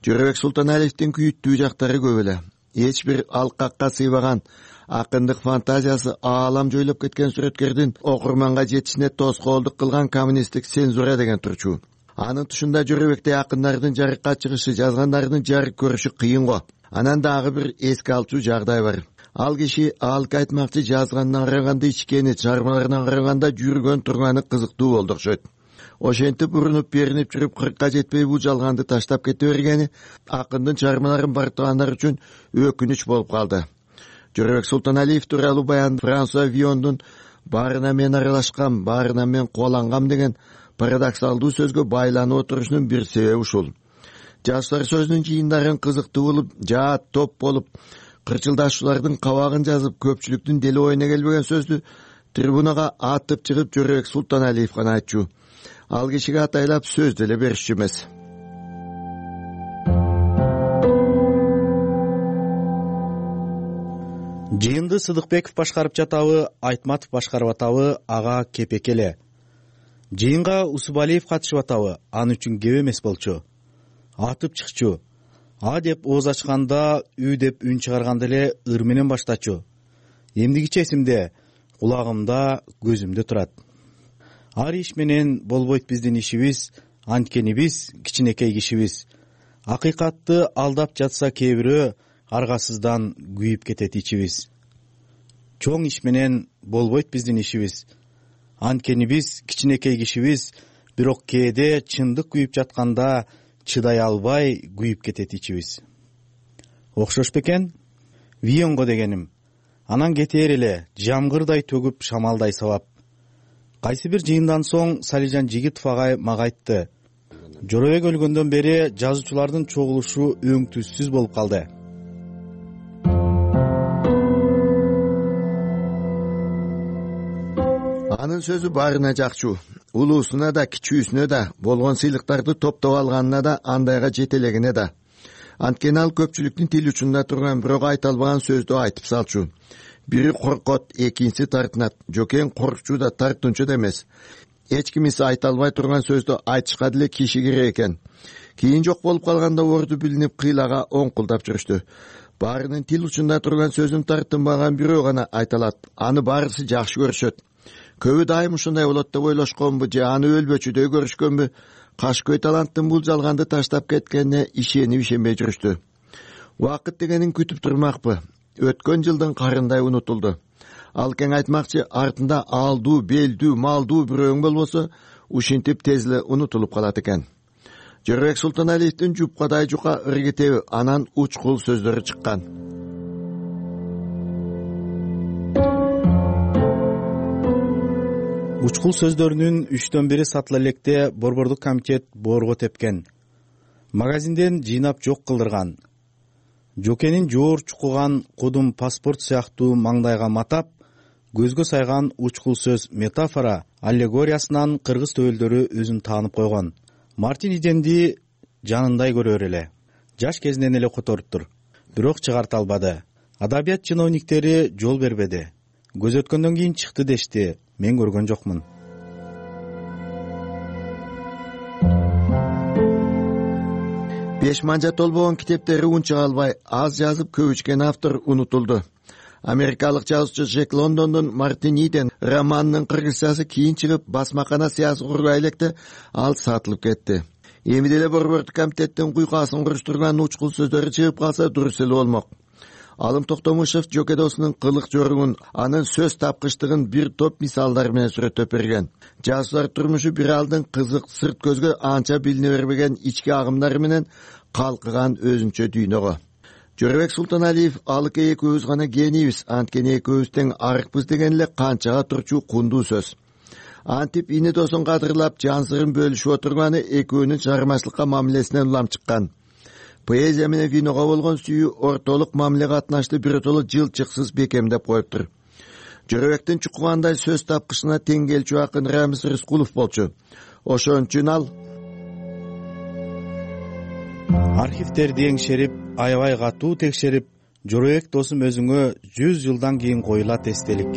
Жоробек Султаналиевдин күйүттүү жактары көп эле. Эч бир алкакка сыйбаган, акындык фантазиясы аалам жойлоп кеткен сүрөткердин окурманга жетишине тоскоолдук кылган коммунисттик цензура деген турчу. Анын тушунда Жоробектей акындардын жарыкка чыгышы, жазгандардын жарык көрүшү кыйын го. Анан дагы бир эске алчу жагдай бар. Ал киши алка айтмакчы жазганына караганда ичкени, чыгармаларына караганда жүргөн турганы кызыктуу болду окшойт. Ошентип урунуп беринип жүрүп кыркка жетпей бул жалганды таштап кете бергени акындын чыгармаларын бартыгандар үчүн өкүнүч болуп калды. Жоробек Султаналиев тууралуу баян Франсуа Виондун баарына мен аралашкам, баарына мен кубалангам деген парадоксалдуу сөзгө байланып отурушунун бир себеби ушул. Жаштар сөзүнүн жыйындарын кызыктуу болуп, жаат топ болуп, кырчылдашуулардын кабагын жазып, көпчүлүктүн дели оюна келбеген сөздү трибунага атып чыгып Жоробек Султаналиев гана айтчу. Ал кишиге атайлап сөз деле беришчү эмес. Жыйынды Сыдыкбеков башкарып жатабы, Айтматов башкарып атабы, ага кепек эле. Жыйынга Усубалиев катышып атабы, ал үчүн кеп эмес болчу. Атып чыкчу. А деп ооз ачканда, үй деп үн чыгарганда эле ыр менен баштачу. Эмдигиче эсимде, кулагымда, көзүмдө турат. Ар иш менен болбойт биздин ишибиз, анткени биз кичинекей кишибиз. Акыйкатты алдап жатса кээ бирөө, аргасыздан күйүп кетет ичибиз. Чоң иш менен болбойт биздин ишибиз, анткени биз кичинекей кишибиз, бирок кээде чындык күйүп жатканда чыдай албай күйүп кетет ичибиз. Окшош бекен? Вионго дегеним. Анан кетээр эле жамгырдай төгүп шамалдай сабап. Кайсы бир жыйындан соң Салижан Жигитов агай мага айтты. Жоробек өлгөндөн бери жазуучулардын чогулушу өң түссүз болуп калды. Анын сөзү баарына жакчу. Улуусуна да, кичүүсүнө да, болгон сыйлыктарды топтоп алганына да, андайга жетелегине да. Анткени ал көпчүлүктүн тил учунда турган, бирок айта албаган сөздү айтып салчу. Бири коркот, экинчиси тартынат. Жокең коркчу да, тартынчу да эмес. Эч кимиси айта албай турган сөздү айтышка деле киши керек экен. Кийин жок болуп калганда орду билинип кыйлага оңкулдап жүрүштү. Баарынын тил учунда турган сөзүн тартынбаган бирөө гана айта алат. Аны баарысы жакшы көрүшөт. Көбү дайым ушундай болот деп ойлошконбу же аны өлбөчүдөй көрүшкөнбү? Кашкөй таланттын бул жалганды таштап кеткенине ишенип ишенбей жүрүштү. Убакыт дегенин күтүп турмакпы. Өткөн жылдын карындай унутулду. Ал кең айтмакчы, артында алдуу, белдүү, малдуу бирөөң болбосо, ушинтип тез эле унутулуп калат экен. Жоробек Султаналиевдин жупкадай жука ыргетеби, анан учкул сөздөрү чыккан. Учкул сөздөрүнүн үчтөн бири сатыла электе Борбордук комитет боорго тепкен. Магазинден жыйнап жок кылдырган. Жокенин жоор чукуган кудум паспорт сыяктуу маңдайга матап, көзгө сайган учкул сөз метафора аллегориясынан кыргыз төөлдөрү өзүн таанып койгон. Мартин Идемди жанындай көрөр эле. Жаш кезинен эле которуптур. Бирок чыгарта албады. Адабият чиновниктери жол бербеди. Көз өткөндөн кийин чыкты дешти. Мен көргөн жокмун. Беш манжа толбогон китептери унча албай, аз жазып көп ичкен автор унутулду. Америкалык жазуучу Джек Лондондун Мартин Иден романынын кыргызчасы кийин чыгып, басмакана сыясы курбай электе ал сатылып кетти. Эми деле Борбордук комитеттин куйкасын куруштурган учкул сөздөрү чыгып калса дурус эле болмок. Алым Токтомушев Жоке досунун кылык жоругун, анын сөз тапкычтыгын бир топ мисалдар менен сүрөттөп берген. Жазуучулар турмушу бир алдын кызык, сырт көзгө анча билине бербеген ички агымдары менен калкыган өзүнчө дүйнөгө. Жоробек Султаналиев алыке экөөбүз гана генийбиз, анткени экөөбүз тең арыкпыз деген эле канчага турчу кундуу сөз. Антип ини досун кадырлап, жан сырын бөлүшүп отурганы экөөнүн чыгармачылыкка мамилесинен улам чыккан. Поэзия менен виного болгон сүйүү ортолук мамиле катнашты биротоло жылчыксыз бекемдеп коюптур. Жоробектин чукугандай сөз тапкычына тең келчү акын Рамиз Рыскулов болчу. Ошон үчүн ал архивтерди эңшерип, аябай катуу текшерип, Жоробек досум өзүңө жүз жылдан кийин коюлат эстелик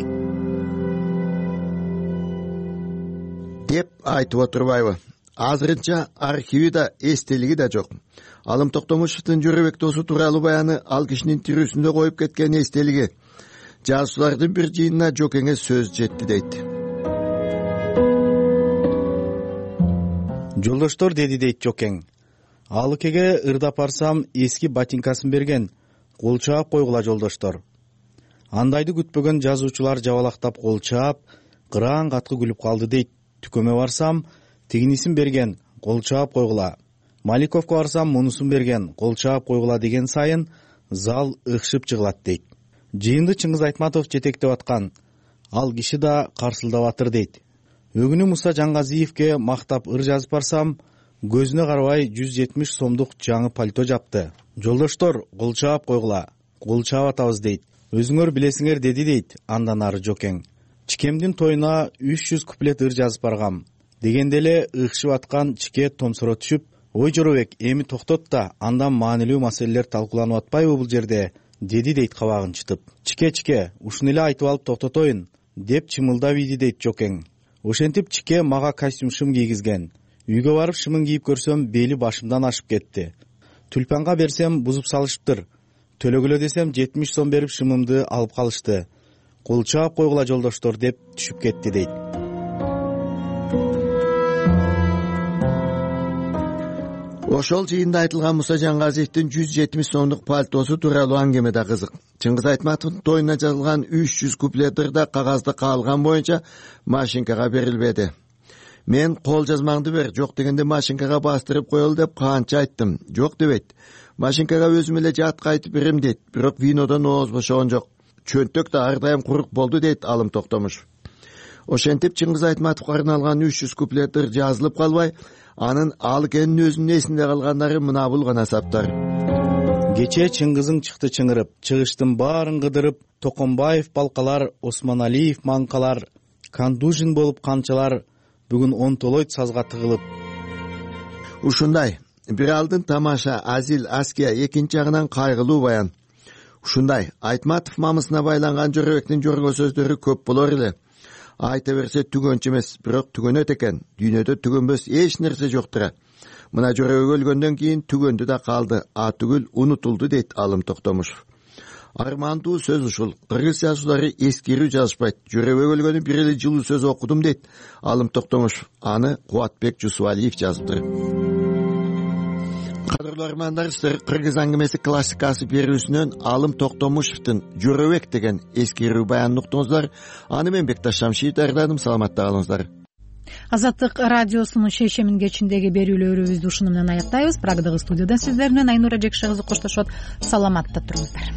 деп айтып отурбайбы? Азырынча архиви да, эстелиги да жок. Алым Токтомушевдин Жоробек досу тууралуу баяны ал кишинин тирүүсүндө коюп кеткен эстелиги. Жазуучулардын бир жыйынына Жокеңе сөз жетти дейт. Жолдоштор деди дейт Жокең. Алыкеге ырдап барсам эски ботинкасын берген. Кол чаап койгула жолдоштор. Андайды күтпөгөн жазуучулар жабалактап кол чаап, кыраан каткы күлүп калды дейт. Түкөмө барсам тигинисин берген. Кол чаап койгула. Маликовго барсам мунусун берген. Кол чаап койгула деген сайын зал ыкшып жыгылат дейт. Жыйынды Чыңгыз Айтматов жетектеп аткан. Ал киши да карсылдап атыр дейт. Өгүнү Муса Жаңгазиевке мактап ыр жазып барсам, көзүнө карабай жүз жетимиш сомдук жаңы пальто жапты. Жолдоштор, кол чаап койгула. Кол чаап атабыз дейт. Өзүңөр билесиңер деди дейт андан ары Жокең. Чикемдин тоюна үч жүз куплет ыр жазып баргам. Дегенде эле ыкшып аткан Чике томсоро түшүп, ой Жоробек, эми токтот да, андан маанилүү маселелер талкууланып атпайбы бул жерде, деди дейт кабагын чытып. Чике Чике, ушуну эле айтып алып токтотоюн, деп чымылдап ийди дейт Жокең. Ошентип Чике мага костюм шым кийгизген. Үйгө барып шымын кийип көрсөм, бели башымдан ашып кетти. Тюльпанга берсем бузуп салышыптыр. Төлөгүлө десем жетимиш сом берип шымымды алып калышты. Кол чаап койгула жолдоштор деп түшүп кетти дейт. Ошол жыйында айтылган Муса Жаңгазиевдин жүз жетимиш сомдук пальтосу тууралуу аңгеме да кызык. Чыңгыз Айтматовдун тоюна жазылган үч жүз куплет ырда кагазда каалган боюнча машинкага берилбеди. мен кол жазмаңды бер, жок дегенде машинкага бастырып коелу деп канча айттым, жок дебейт. Машинкага өзүм эле жатка айтып берем дейт, бирок винодон ооз бошогон жок. Чөнтөк да ар дайым курук болду дейт Алым Токтомушев. Ошентип Чыңгыз Айтматовго арналган үч жүз куплеттер жазылып калбай, анын ал экенин өзүнүн эсинде калгандары мына бул гана саптар. Кечээ Чыңгызың чыкты чыңырып, чыгыштын баарын кыдырып, Токомбаев балкалар, Осмоналиев манкалар, Кандужин болуп канчалар, бүгүн онтолойт сазга тыгылып. Ушундай бир алдын тамаша, азил, аския, экинчи жагынан кайгылуу баян. Ушундай Айтматов мамысына байланган Жорабектин жорго сөздөрү көп болор эле. Айта берсе түгөнчү эмес, бирок түгөнөт экен. Дүйнөдө түгөнбөс эч нерсе жоктура. Мына Жорабек өлгөндөн кийин түгөндү да калды, а түгүл унутулду дейт Алым Токтомушев. Армандуу сөз ушул. Кыргыз жазуулары эскерүү жазышпайт. Жорабек өлгөнү бир эле жылуу сөз окудум дейт Алым Токтомушев. Аны Кубатбек Жусубалиев жазыптыр. Кадырлуу армандар, сиздер Кыргыз аңгемеси классикасы берүүсүнөн Алым Токтомушевдин Жорабек деген эскерүү баянын уктуңуздар. Аны мен Бекташ Шамшиев даярдадым. Саламатта калыңыздар. Азаттык радиосунун шейшемин кечиндеги берүүлөрүбүздү ушуну менен аяктайбыз. Прагдагы студиядан сиздер менен Айнура Жекше кызы коштошот. Саламатта туруңуздар.